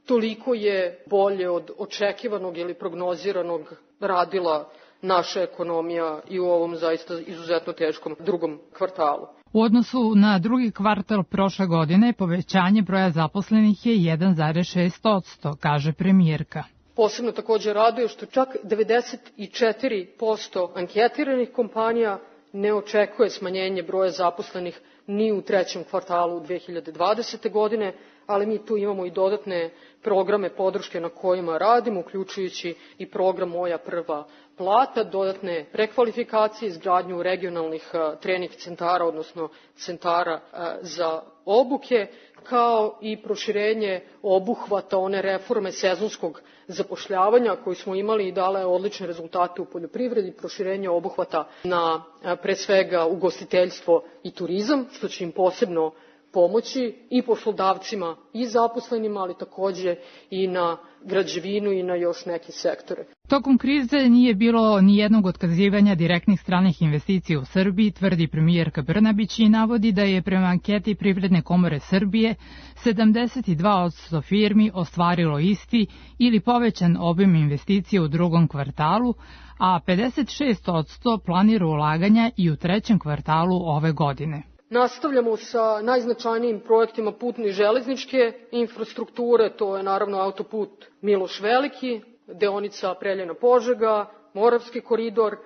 toliko je bolje od očekivanog ili prognoziranog radila naša ekonomija i u ovom zaista izuzetno teškom drugom kvartalu. U odnosu na drugi kvartal prošle godine povećanje broja zaposlenih je jedan zarez šest posto, kaže premijerka. Posebno takođe raduje što čak devedeset četiri posto anketiranih kompanija ne očekuje smanjenje broja zaposlenih ni u trećem kvartalu dve hiljade dvadesete. godine, ali mi tu imamo i dodatne programe podrške na kojima radimo, uključujući i program Moja prva plata, dodatne prekvalifikacije, izgradnju regionalnih trening centara, odnosno centara za obuke, kao i proširenje obuhvata one reforme sezonskog zapošljavanja koju smo imali i dala je odlične rezultate u poljoprivredi, proširenje obuhvata na pre svega ugostiteljstvo i turizam, što će im posebno pomoći i poslodavcima i zaposlenima, ali takođe i na građevinu i na još neke sektore. Tokom krize nije bilo ni jednog otkazivanja direktnih stranih investicija u Srbiji, tvrdi premijerka Brnabić i navodi da je prema anketi Privredne komore Srbije sedamdeset dva posto firmi ostvarilo isti ili povećan obim investicija u drugom kvartalu, a pedeset šest posto planira ulaganja i u trećem kvartalu ove godine. Nastavljamo sa najznačajnijim projektima putne i železničke infrastrukture, to je naravno autoput Miloš Veliki, deonica Preljina-Požega, Moravski koridor,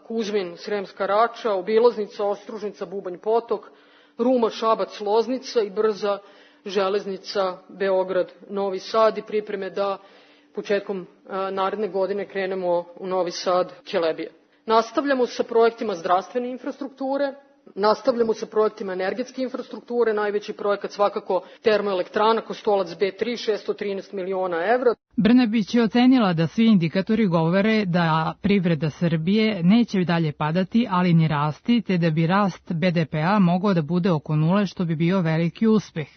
Kuzmin-Sremska Rača, obilaznica Ostružnica Bubanj Potok, Ruma-Šabac-Loznica i brza železnica Beograd-Novi Sad i pripreme da početkom naredne godine krenemo u Novi Sad-Kelebija. Nastavljamo sa projektima zdravstvene infrastrukture, nastavljamo sa projektima energetske infrastrukture, najveći projekat svakako termoelektrana Kostolac B tri, šesto trinaest miliona evra. Brnabić je ocenila da svi indikatori govore da privreda Srbije neće dalje padati, ali ni rasti, te da bi rast be de pe-a mogao da bude oko nule, što bi bio veliki uspeh.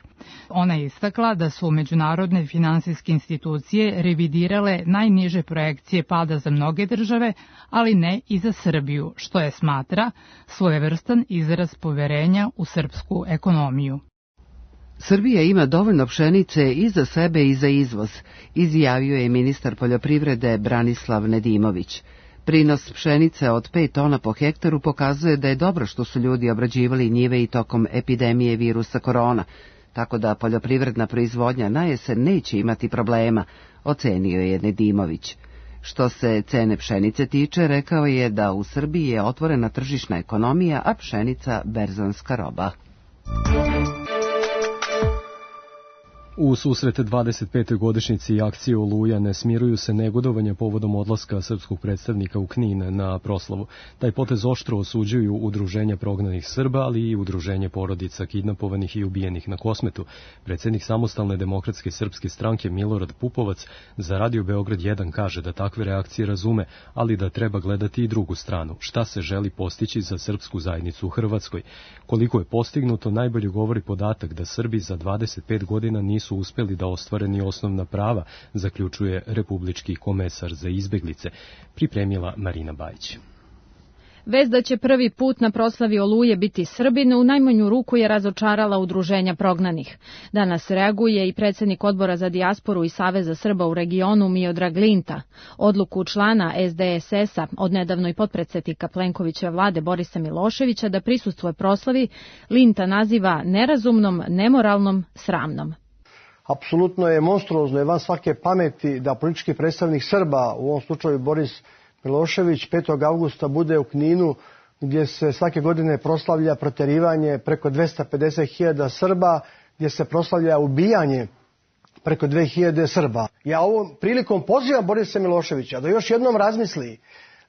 Ona je istakla da su međunarodne finansijske institucije revidirale najniže projekcije pada za mnoge države, ali ne i za Srbiju, što je smatra svojevrstan izraz poverenja u srpsku ekonomiju. Srbija ima dovoljno pšenice i za sebe i za izvoz, izjavio je ministar poljoprivrede Branislav Nedimović. Prinos pšenice od pet tona po hektaru pokazuje da je dobro što su ljudi obrađivali njive i tokom epidemije virusa korona, tako da poljoprivredna proizvodnja na jesen neće imati problema, ocenio je Nedimović. Što se cene pšenice tiče, rekao je da u Srbiji je otvorena tržišna ekonomija, a pšenica berzanska roba. U susret dvadeset petoj godišnjici akcije Oluja ne smiruju se negodovanja povodom odlaska srpskog predstavnika u Knin na proslavu. Taj potez oštro osuđuju udruženja prognanih Srba, ali i udruženje porodica kidnapovanih i ubijenih na Kosmetu. Predsjednik Samostalne demokratske srpske stranke Milorad Pupovac za Radio Beograd jedan kaže da takve reakcije razume, ali da treba gledati i drugu stranu. Šta se želi postići za srpsku zajednicu u Hrvatskoj? Koliko je postignuto, najbolje govori podatak da Srbi za dvadeset pet godina nisu su uspeli da ostvare ni osnovna prava, zaključuje republički komesar za izbeglice, pripremila Marina Bajić. Vest da će prvi put na proslavi Oluje biti Srbin u najmanju ruku je razočarala udruženja prognanih. Danas reaguje i predsjednik odbora za dijasporu i Saveza Srba u regionu Miodrag Linta. Odluku člana es de es es-a, odnedavno i potpredsjednika Plenkovićeve vlade Borisa Miloševića da prisustvuje proslavi, Linta naziva nerazumnom, nemoralnom, sramnom. Apsolutno je monstruozno i van svake pameti da politički predstavnik Srba, u ovom slučaju Boris Milošević, petog avgusta bude u Kninu, gdje se svake godine proslavlja proterivanje preko dvesta pedeset hiljada Srba, gdje se proslavlja ubijanje preko dve hiljade Srba. Ja ovom prilikom pozivam Borisa Miloševića da još jednom razmisli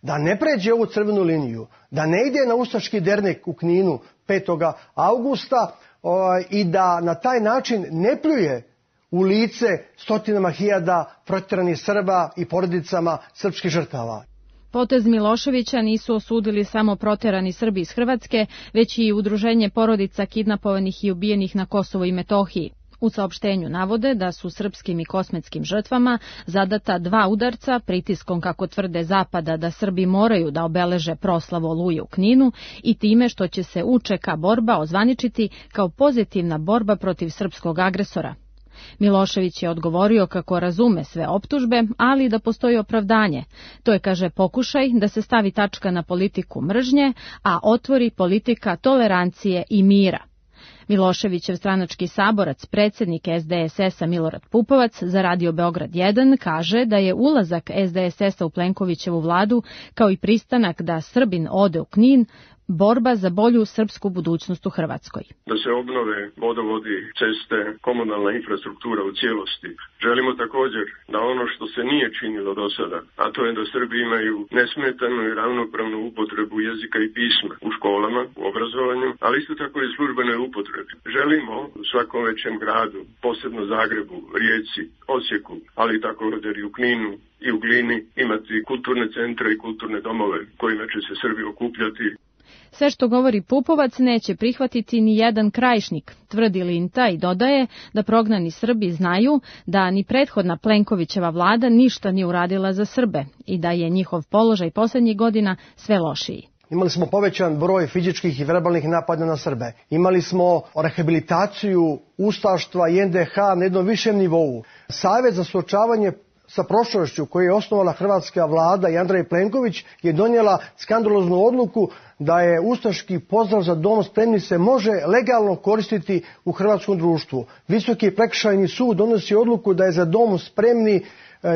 da ne pređe ovu crvenu liniju, da ne ide na ustaški dernek u Kninu petog avgusta o, i da na taj način ne pljuje u lice stotinama hiljada protjeranih Srba i porodicama srpskih žrtava. Potez Miloševića nisu osudili samo proterani Srbi iz Hrvatske, već i udruženje porodica kidnapovanih i ubijenih na Kosovu i Metohiji. U saopštenju navode da su srpskim i kosmetskim žrtvama zadata dva udarca pritiskom, kako tvrde Zapada, da Srbi moraju da obeleže proslavu Oluje u Kninu i time što će se u če ka borba ozvaničiti kao pozitivna borba protiv srpskog agresora. Milošević je odgovorio kako razume sve optužbe, ali da postoji opravdanje. To je, kaže, pokušaj da se stavi tačka na politiku mržnje, a otvori politika tolerancije i mira. Miloševićev stranački saborac, predsjednik es de es es-a Milorad Pupovac za Radio Beograd jedan kaže da je ulazak es de es es-a u Plenkovićevu vladu kao i pristanak da Srbin ode u Knin borba za bolju srpsku budućnost u Hrvatskoj. Da se obnove vodovodi, ceste, komunalna infrastruktura u cijelosti. Želimo također da ono što se nije činilo do sada, a to je da Srbi imaju nesmetanu i ravnopravnu upotrebu jezika i pisma u školama, u obrazovanju, ali isto tako i službenoj upotrebi. Želimo u svakom većem gradu, posebno Zagrebu, Rijeci, Osijeku, ali također i u Kninu i u Glini imati kulturne centre i kulturne domove kojima će se Srbi okupljati. Sve što govori Pupovac neće prihvatiti ni jedan Krajišnik, tvrdi Linta i dodaje da prognani Srbi znaju da ni prethodna Plenkovićeva vlada ništa nije uradila za Srbe i da je njihov položaj poslednjih godina sve lošiji. Imali smo povećan broj fizičkih i verbalnih napada na Srbe. Imali smo rehabilitaciju ustaštva i en de ha na jednom višem nivou. Savet za suočavanje sa prošlošću koju je osnovala hrvatska vlada i Andrej Plenković je donijela skandaloznu odluku da je ustaški pozdrav za dom spremni se može legalno koristiti u hrvatskom društvu. Visoki prekršajni sud donosi odluku da je za dom spremni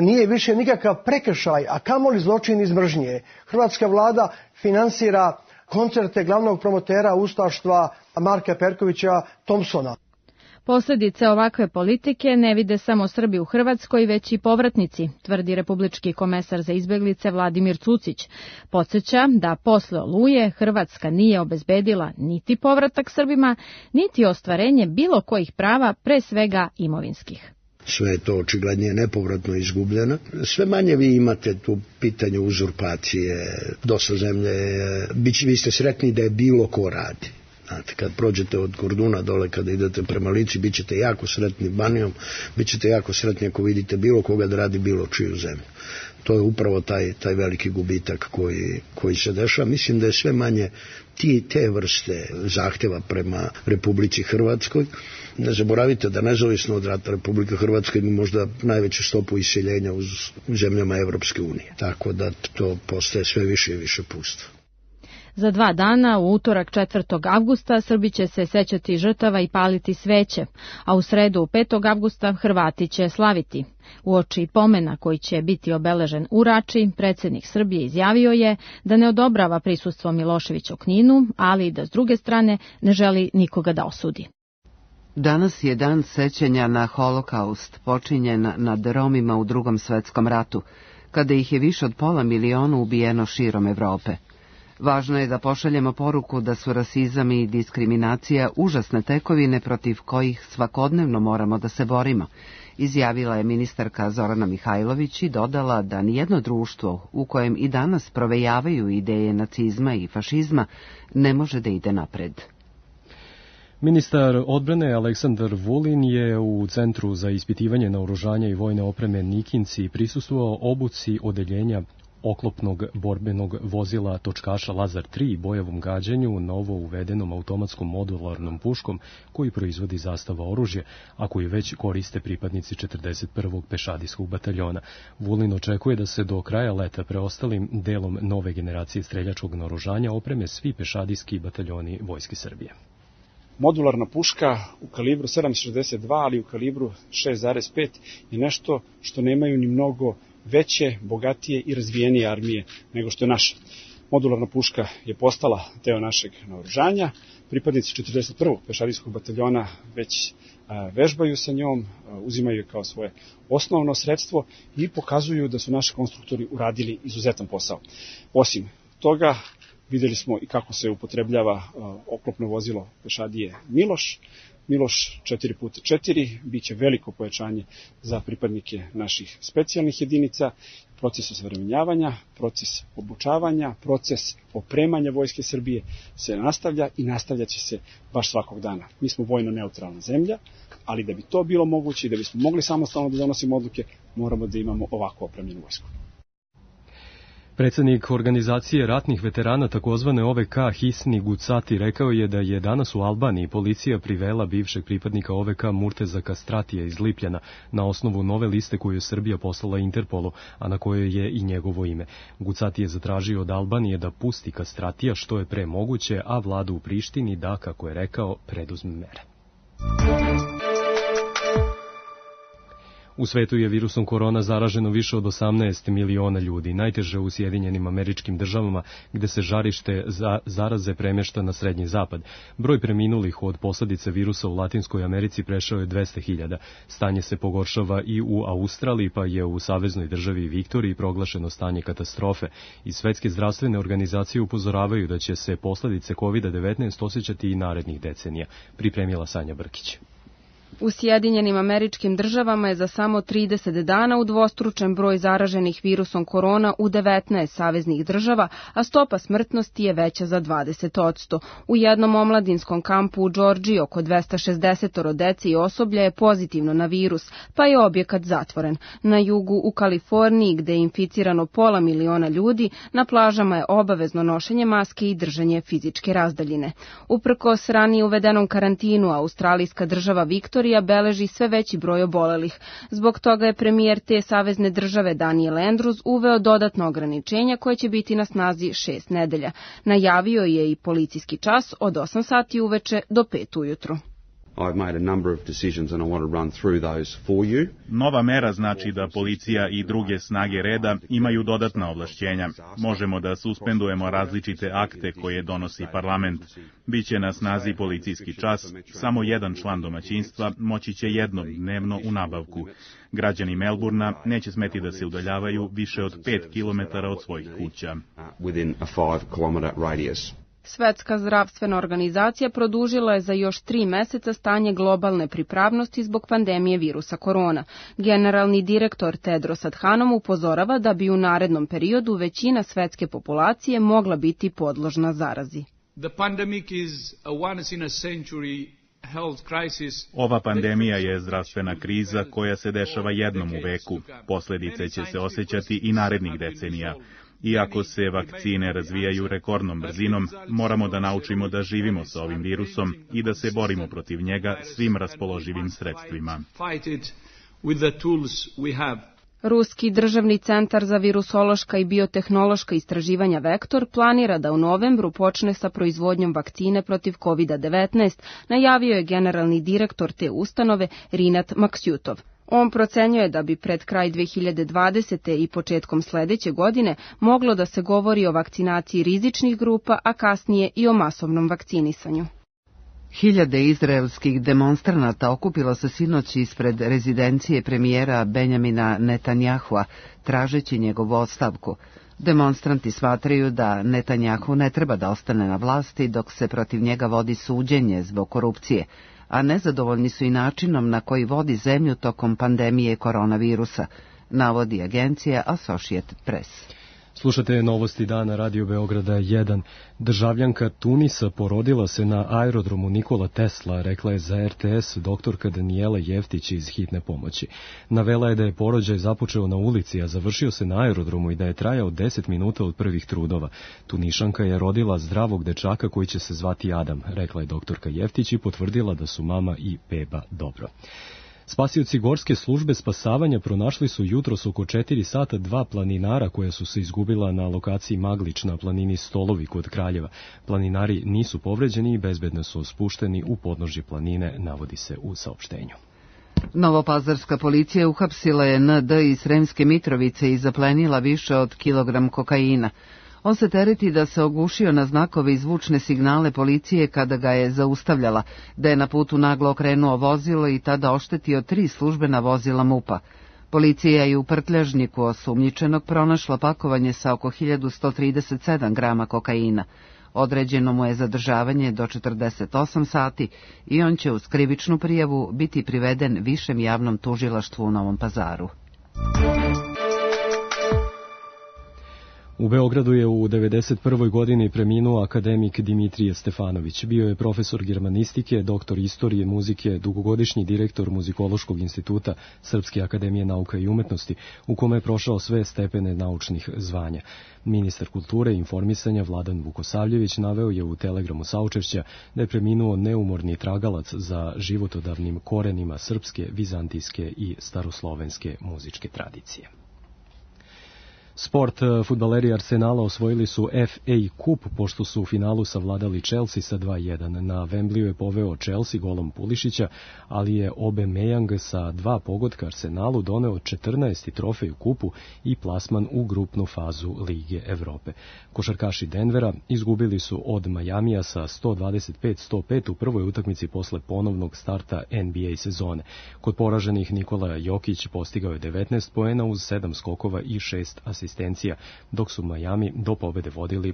nije više nikakav prekršaj, a kamoli zločin iz mržnje. Hrvatska vlada finansira koncerte glavnog promotera ustaštva Marka Perkovića Thompsona. Posljedice ovakve politike ne vide samo Srbi u Hrvatskoj, već i povratnici, tvrdi republički komesar za izbeglice Vladimir Cucić. Podsjeća da posle Oluje Hrvatska nije obezbedila niti povratak Srbima, niti ostvarenje bilo kojih prava, pre svega imovinskih. Sve je to očiglednije nepovratno izgubljeno. Sve manje vi imate tu pitanje uzurpacije, dosta zemlje, vi ste sretni da je bilo ko radi. Znate, kad prođete od Korduna dole, kada idete prema Lici, bit ćete jako sretni Banijom, bit ćete jako sretni ako vidite bilo koga da radi bilo čiju zemlju. To je upravo taj, taj veliki gubitak koji, koji se dešava. Mislim da je sve manje ti, te vrste zahtjeva prema Republici Hrvatskoj. Ne zaboravite da nezavisno od rata Republika Hrvatska ima možda najveću stopu iseljenja u zemljama Evropske unije. Tako da to postaje sve više i više pusto. Za dva dana, u utorak četvrtog avgusta, Srbi će se sećati žrtava i paliti sveće, a u sredu petog avgusta Hrvati će slaviti. Uoči pomena koji će biti obeležen u Rači, predsjednik Srbije izjavio je da ne odobrava prisustvo Miloševića u Kninu, ali i da s druge strane ne želi nikoga da osudi. Danas je dan sećanja na holokaust, počinjen nad Romima u Drugom svetskom ratu, kada ih je više od pola miliona ubijeno širom Evrope. Važno je da pošaljemo poruku da su rasizam i diskriminacija užasne tekovine protiv kojih svakodnevno moramo da se borimo, izjavila je ministarka Zorana Mihajlović i dodala da nijedno društvo u kojem i danas provejavaju ideje nacizma i fašizma ne može da ide napred. Ministar odbrane Aleksandar Vulin je u Centru za ispitivanje naoružanja i vojne opreme Nikinci prisustvovao obuci odeljenja oklopnog borbenog vozila točkaša Lazar tri bojevom gađanju novo uvedenom automatskom modularnom puškom koji proizvodi Zastava oružje, a koji već koriste pripadnici četrdeset prvog pešadijskog bataljona. Vulin očekuje da se do kraja leta preostalim delom nove generacije streljačkog naoružanja opreme svi pešadijski bataljoni Vojske Srbije. Modularna puška u kalibru sedam šezdeset dva, ali u kalibru šest zarez pet je nešto što nemaju ni mnogo veće, bogatije i razvijenije armije nego što je naša. Modularna puška je postala deo našeg naoružanja. Pripadnici četrdeset prvog pešadijskog bataljona već vežbaju sa njom, uzimaju je kao svoje osnovno sredstvo i pokazuju da su naši konstruktori uradili izuzetan posao. Osim toga, videli smo i kako se upotrebljava oklopno vozilo pešadije Miloš. Miloš četiri puta četiri biće veliko pojačanje za pripadnike naših specijalnih jedinica, proces osavremenjavanja, proces obučavanja, proces opremanja Vojske Srbije se nastavlja i nastavljaće se baš svakog dana. Mi smo vojno neutralna zemlja, ali da bi to bilo moguće i da bismo mogli samostalno da donosimo odluke, moramo da imamo ovako opremljenu vojsku. Predsjednik organizacije ratnih veterana takozvane O V K Hisni Gucati rekao je da je danas u Albaniji policija privela bivšeg pripadnika O V K Murteza Kastratija iz Lipljana na osnovu nove liste koju je Srbija poslala Interpolu, a na kojoj je i njegovo ime. Gucati je zatražio od Albanije da pusti Kastratija što je pre moguće, a vlada u Prištini da, kako je rekao, preduzme mere. U svetu je virusom korona zaraženo više od osamnaest miliona ljudi, najteže u Sjedinjenim Američkim Državama, gde se žarište za zaraze premješta na Srednji zapad. Broj preminulih od posledice virusa u Latinskoj Americi prešao je dvesta hiljada. Stanje se pogoršava i u Australiji, pa je u saveznoj državi Viktoriji proglašeno stanje katastrofe. I svetske zdravstvene organizacije upozoravaju da će se posledice kovid devetnaest osjećati i narednih decenija, pripremila Sanja Brkić. U Sjedinjenim Američkim Državama je za samo trideset dana udvostručen broj zaraženih virusom korona u devetnaest saveznih država, a stopa smrtnosti je veća za dvadeset posto. U jednom omladinskom kampu u Džordžiji oko dvesta šezdeset dece i osoblja je pozitivno na virus, pa je objekat zatvoren. Na jugu u Kaliforniji, gde je inficirano pola miliona ljudi, na plažama je obavezno nošenje maske i držanje fizičke razdaljine. Uprkos ranije uvedenom karantinu, australijska država Viktorija beleži sve veći broj obolelih. Zbog toga je premijer te savezne države Daniel Andrews uveo dodatno ograničenja koje će biti na snazi šest nedelja. Najavio je i policijski čas od osam sati uveče do pet ujutru. I've made a number of decisions and I want to run through those for you. Nova mera znači da policija i druge snage reda imaju dodatna ovlašćenja. Možemo da suspendujemo različite akte koje donosi parlament. Biće na snazi policijski čas, samo jedan član domaćinstva moći će jednom dnevno u nabavku. Građani Melburna neće smeti da se udaljavaju više od pet kilometara od svojih kuća. Within a five kilometer radius. Svetska zdravstvena organizacija produžila je za još tri meseca stanje globalne pripravnosti zbog pandemije virusa korona. Generalni direktor Tedros Adhanom upozorava da bi u narednom periodu većina svetske populacije mogla biti podložna zarazi. The pandemic is a once in a century health crisis. Ova pandemija je zdravstvena kriza koja se dešava jednom u veku. Posledice će se osjećati i narednih decenija. Iako se vakcine razvijaju rekordnom brzinom, moramo da naučimo da živimo sa ovim virusom i da se borimo protiv njega svim raspoloživim sredstvima. Ruski državni centar za virusološka i biotehnološka istraživanja Vektor planira da u novembru počne sa proizvodnjom vakcine protiv kovid devetnaest, najavio je generalni direktor te ustanove Rinat Maksutov. On procenjuje da bi pred kraj dve hiljade dvadesete. i početkom sledeće godine moglo da se govori o vakcinaciji rizičnih grupa, a kasnije i o masovnom vakcinisanju. Hiljade izraelskih demonstranata okupilo se sinoć ispred rezidencije premijera Benjamina Netanjahua, tražeći njegovu ostavku. Demonstranti smatraju da Netanjahu ne treba da ostane na vlasti dok se protiv njega vodi suđenje zbog korupcije, a nezadovoljni su i načinom na koji vodi zemlju tokom pandemije koronavirusa, navodi agencija Associated Press. Slušate novosti dana Radio Beograda jedan. Državljanka Tunisa porodila se na aerodromu Nikola Tesla, rekla je za R T S doktorka Danijela Jeftić iz hitne pomoći. Navela je da je porođaj započeo na ulici, a završio se na aerodromu i da je trajao deset minuta od prvih trudova. Tunišanka je rodila zdravog dečaka koji će se zvati Adam, rekla je doktorka Jeftić i potvrdila da su mama i beba dobro. Spasioci Gorske službe spasavanja pronašli su jutros oko četiri sata dva planinara koja su se izgubila na lokaciji Maglić na planini Stolovi kod Kraljeva. Planinari nisu povređeni i bezbedno su spušteni u podnožje planine, navodi se u saopštenju. Novopazarska policija uhapsila je N D iz Sremske Mitrovice i zaplenila više od kilogram kokaina. On se tereti da se ogušio na znakove i zvučne signale policije kada ga je zaustavljala, da je na putu naglo okrenuo vozilo i tada oštetio tri službena vozila MUP-a. Policija je u prtljažniku osumnjičenog pronašla pakovanje sa oko hiljadu sto trideset sedam grama kokaina. Određeno mu je zadržavanje do četrdeset osam sati i on će uz krivičnu prijavu biti priveden Višem javnom tužilaštvu u Novom Pazaru. U Beogradu je u devedeset prvoj godini preminuo akademik Dimitrije Stefanović. Bio je profesor germanistike, doktor istorije muzike, dugogodišnji direktor Muzikološkog instituta Srpske akademije nauka i umetnosti, u kome je prošao sve stepene naučnih zvanja. Ministar kulture i informisanja Vladan Vukosavljević naveo je u telegramu saučešća da je preminuo neumorni tragalac za životodavnim korenima srpske, vizantijske i staroslovenske muzičke tradicije. Sport, fudbaleri Arsenala osvojili su F A kup pošto su u finalu savladali Chelsea sa dva jedan. Na Wembliju je poveo Chelsea golom Pulišića, ali je Aubameyang sa dva pogotka Arsenalu doneo četrnaesti trofej u kupu i plasman u grupnu fazu Lige Evrope. Košarkaši Denvera izgubili su od Majamija sa sto dvadeset pet sto pet u prvoj utakmici posle ponovnog starta N B A sezone. Kod poraženih Nikola Jokić postigao je devetnaest poena uz sedam skokova i šest asistencija. asistencija, dok su Miami do pobede vodili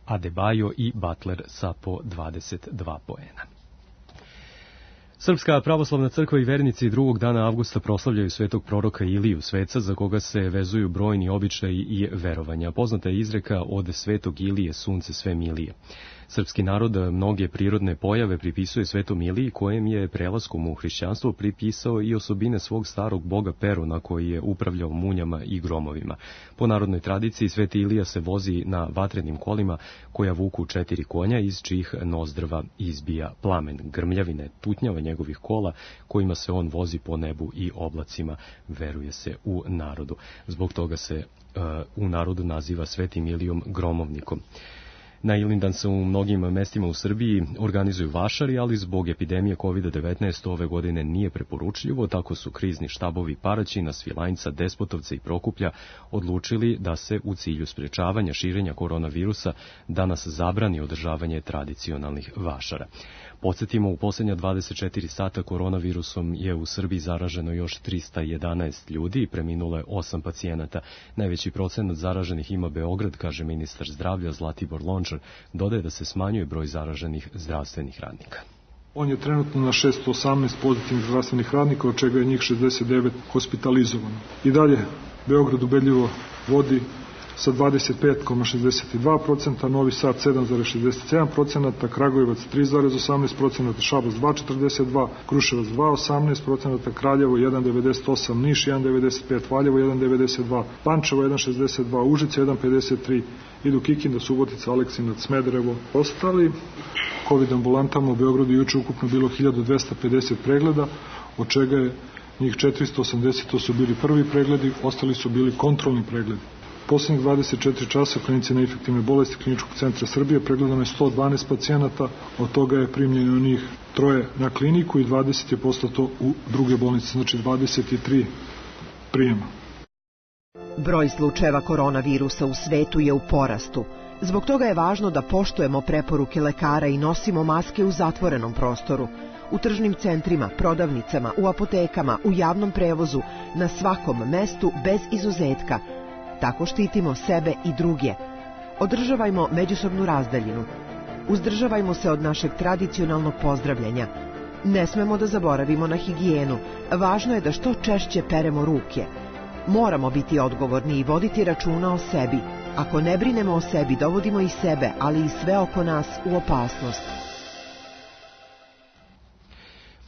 Adebayo i Butler sa po dvadeset dva poena. Srpska pravoslavna crkva i vernici drugog dana avgusta proslavljaju svetog proroka Iliju, sveca za koga se vezuju brojni običaji i verovanja. Poznata je izreka od svetog Ilije sunce sve milije. Srpski narod mnoge prirodne pojave pripisuje svetom Iliji, kojem je prelaskom u hrišćanstvo pripisao i osobine svog starog boga Peruna, koji je upravljao munjama i gromovima. Po narodnoj tradiciji sveti Ilija se vozi na vatrenim kolima koja vuku četiri konja, iz čijih nozdrva izbija plamen. Grmljavine tutnjava njegovih kola kojima se on vozi po nebu i oblacima, veruje se u narodu. Zbog toga se uh, u narodu naziva svetim Ilijom gromovnikom. Na Ilindan se u mnogim mestima u Srbiji organizuju vašari, ali zbog epidemije kovid devetnaest ove godine nije preporučljivo, tako su krizni štabovi Paraćina, Svilajnca, Despotovca i Prokuplja odlučili da se u cilju sprečavanja širenja koronavirusa danas zabrani održavanje tradicionalnih vašara. Podsjetimo, u posljednja dvadeset četiri sata koronavirusom je u Srbiji zaraženo još trista jedanaest ljudi i preminulo je osam pacijenata. Najveći procenat zaraženih ima Beograd, kaže ministar zdravlja Zlatibor Lončar. Dodaje da se smanjuje broj zaraženih zdravstvenih radnika. On je trenutno na šesto osamnaest pozitivnih zdravstvenih radnika, od čega je njih šezdeset devet hospitalizovano. I dalje Beograd ubedljivo vodi sa dvadeset pet zarez šezdeset dva procenta, Novi Sad sedam zarez šezdeset sedam procenta, Kragujevac tri zarez osamnaest procenta, Šabac dva zarez četrdeset dva, Kruševac dva zarez osamnaest procenta, Kraljevo jedan zarez devedeset osam, Niš jedan zarez devedeset pet, Valjevo jedan zarez devedeset dva, Pančevo jedan zarez šezdeset dva, Užice jedan zarez pedeset tri, idu Kikinda, Subotica, Aleksinac, Smederevo. Ostali COVID ambulantama u Beogradu juče ukupno bilo hiljadu dvesta pedeset pregleda, od čega je njih četiristo osamdeset to su bili prvi pregledi, ostali su bili kontrolni pregledi. Poslednjih dvadeset četiri časa klinici na infektivne bolesti Kliničkog centra Srbije pregledano je sto dvanaest pacijenata, od toga je primljeno njih troje na kliniku i dvadeset je poslato u druge bolnice, znači dvadeset tri prijema. Broj slučajeva koronavirusa u svetu je u porastu. Zbog toga je važno da poštujemo preporuke lekara i nosimo maske u zatvorenom prostoru, u tržnim centrima, prodavnicama, u apotekama, u javnom prevozu, na svakom mestu bez izuzetka. Tako štitimo sebe i druge. Održavajmo međusobnu razdaljinu. Uzdržavajmo se od našeg tradicionalnog pozdravljanja. Ne smemo da zaboravimo na higijenu. Važno je da što češće peremo ruke. Moramo biti odgovorni i voditi računa o sebi. Ako ne brinemo o sebi, dovodimo i sebe, ali i sve oko nas u opasnost.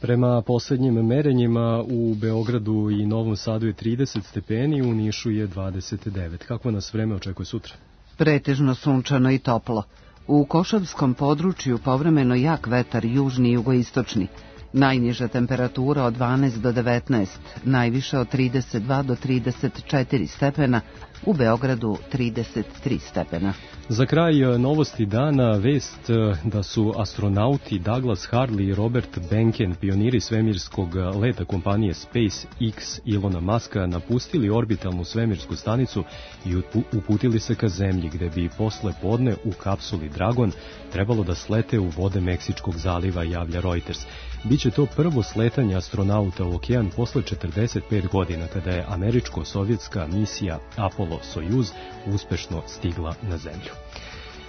Prema poslednjim merenjima u Beogradu i Novom Sadu je trideset stepeni, u Nišu je dvadeset devet. Kako nas vreme očekuje sutra? Pretežno sunčano i toplo. U Košavskom području povremeno jak vetar južni i jugoistočni. Najniža temperatura od dvanaest do devetnaest, najviša od trideset dva do trideset četiri stepena, u Beogradu trideset tri stepena. Za kraj novosti dana vest da su astronauti Douglas Hurley i Robert Behnken, pioniri svemirskog leta kompanije SpaceX Ilona Muska, napustili orbitalnu svemirsku stanicu i uputili se ka Zemlji, gde bi posle podne u kapsuli Dragon trebalo da slete u vode Meksičkog zaliva, javlja Reuters. Biće to prvo sletanje astronauta u okean posle četrdeset pet godina, kada je američko-sovjetska misija Apollo-Sojuz uspešno stigla na Zemlju.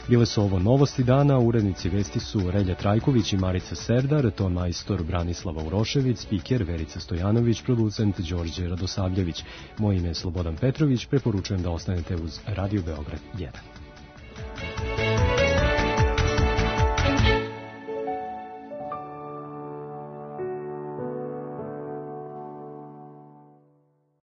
Bile su ovo novosti dana, urednici vesti su Relja Trajković i Marica Serdar, ton majstor Branislava Urošević, spiker Verica Stojanović, producent Đorđe Radosavljević. Moje ime je Slobodan Petrović, preporučujem da ostanete uz Radio Beograd jedan.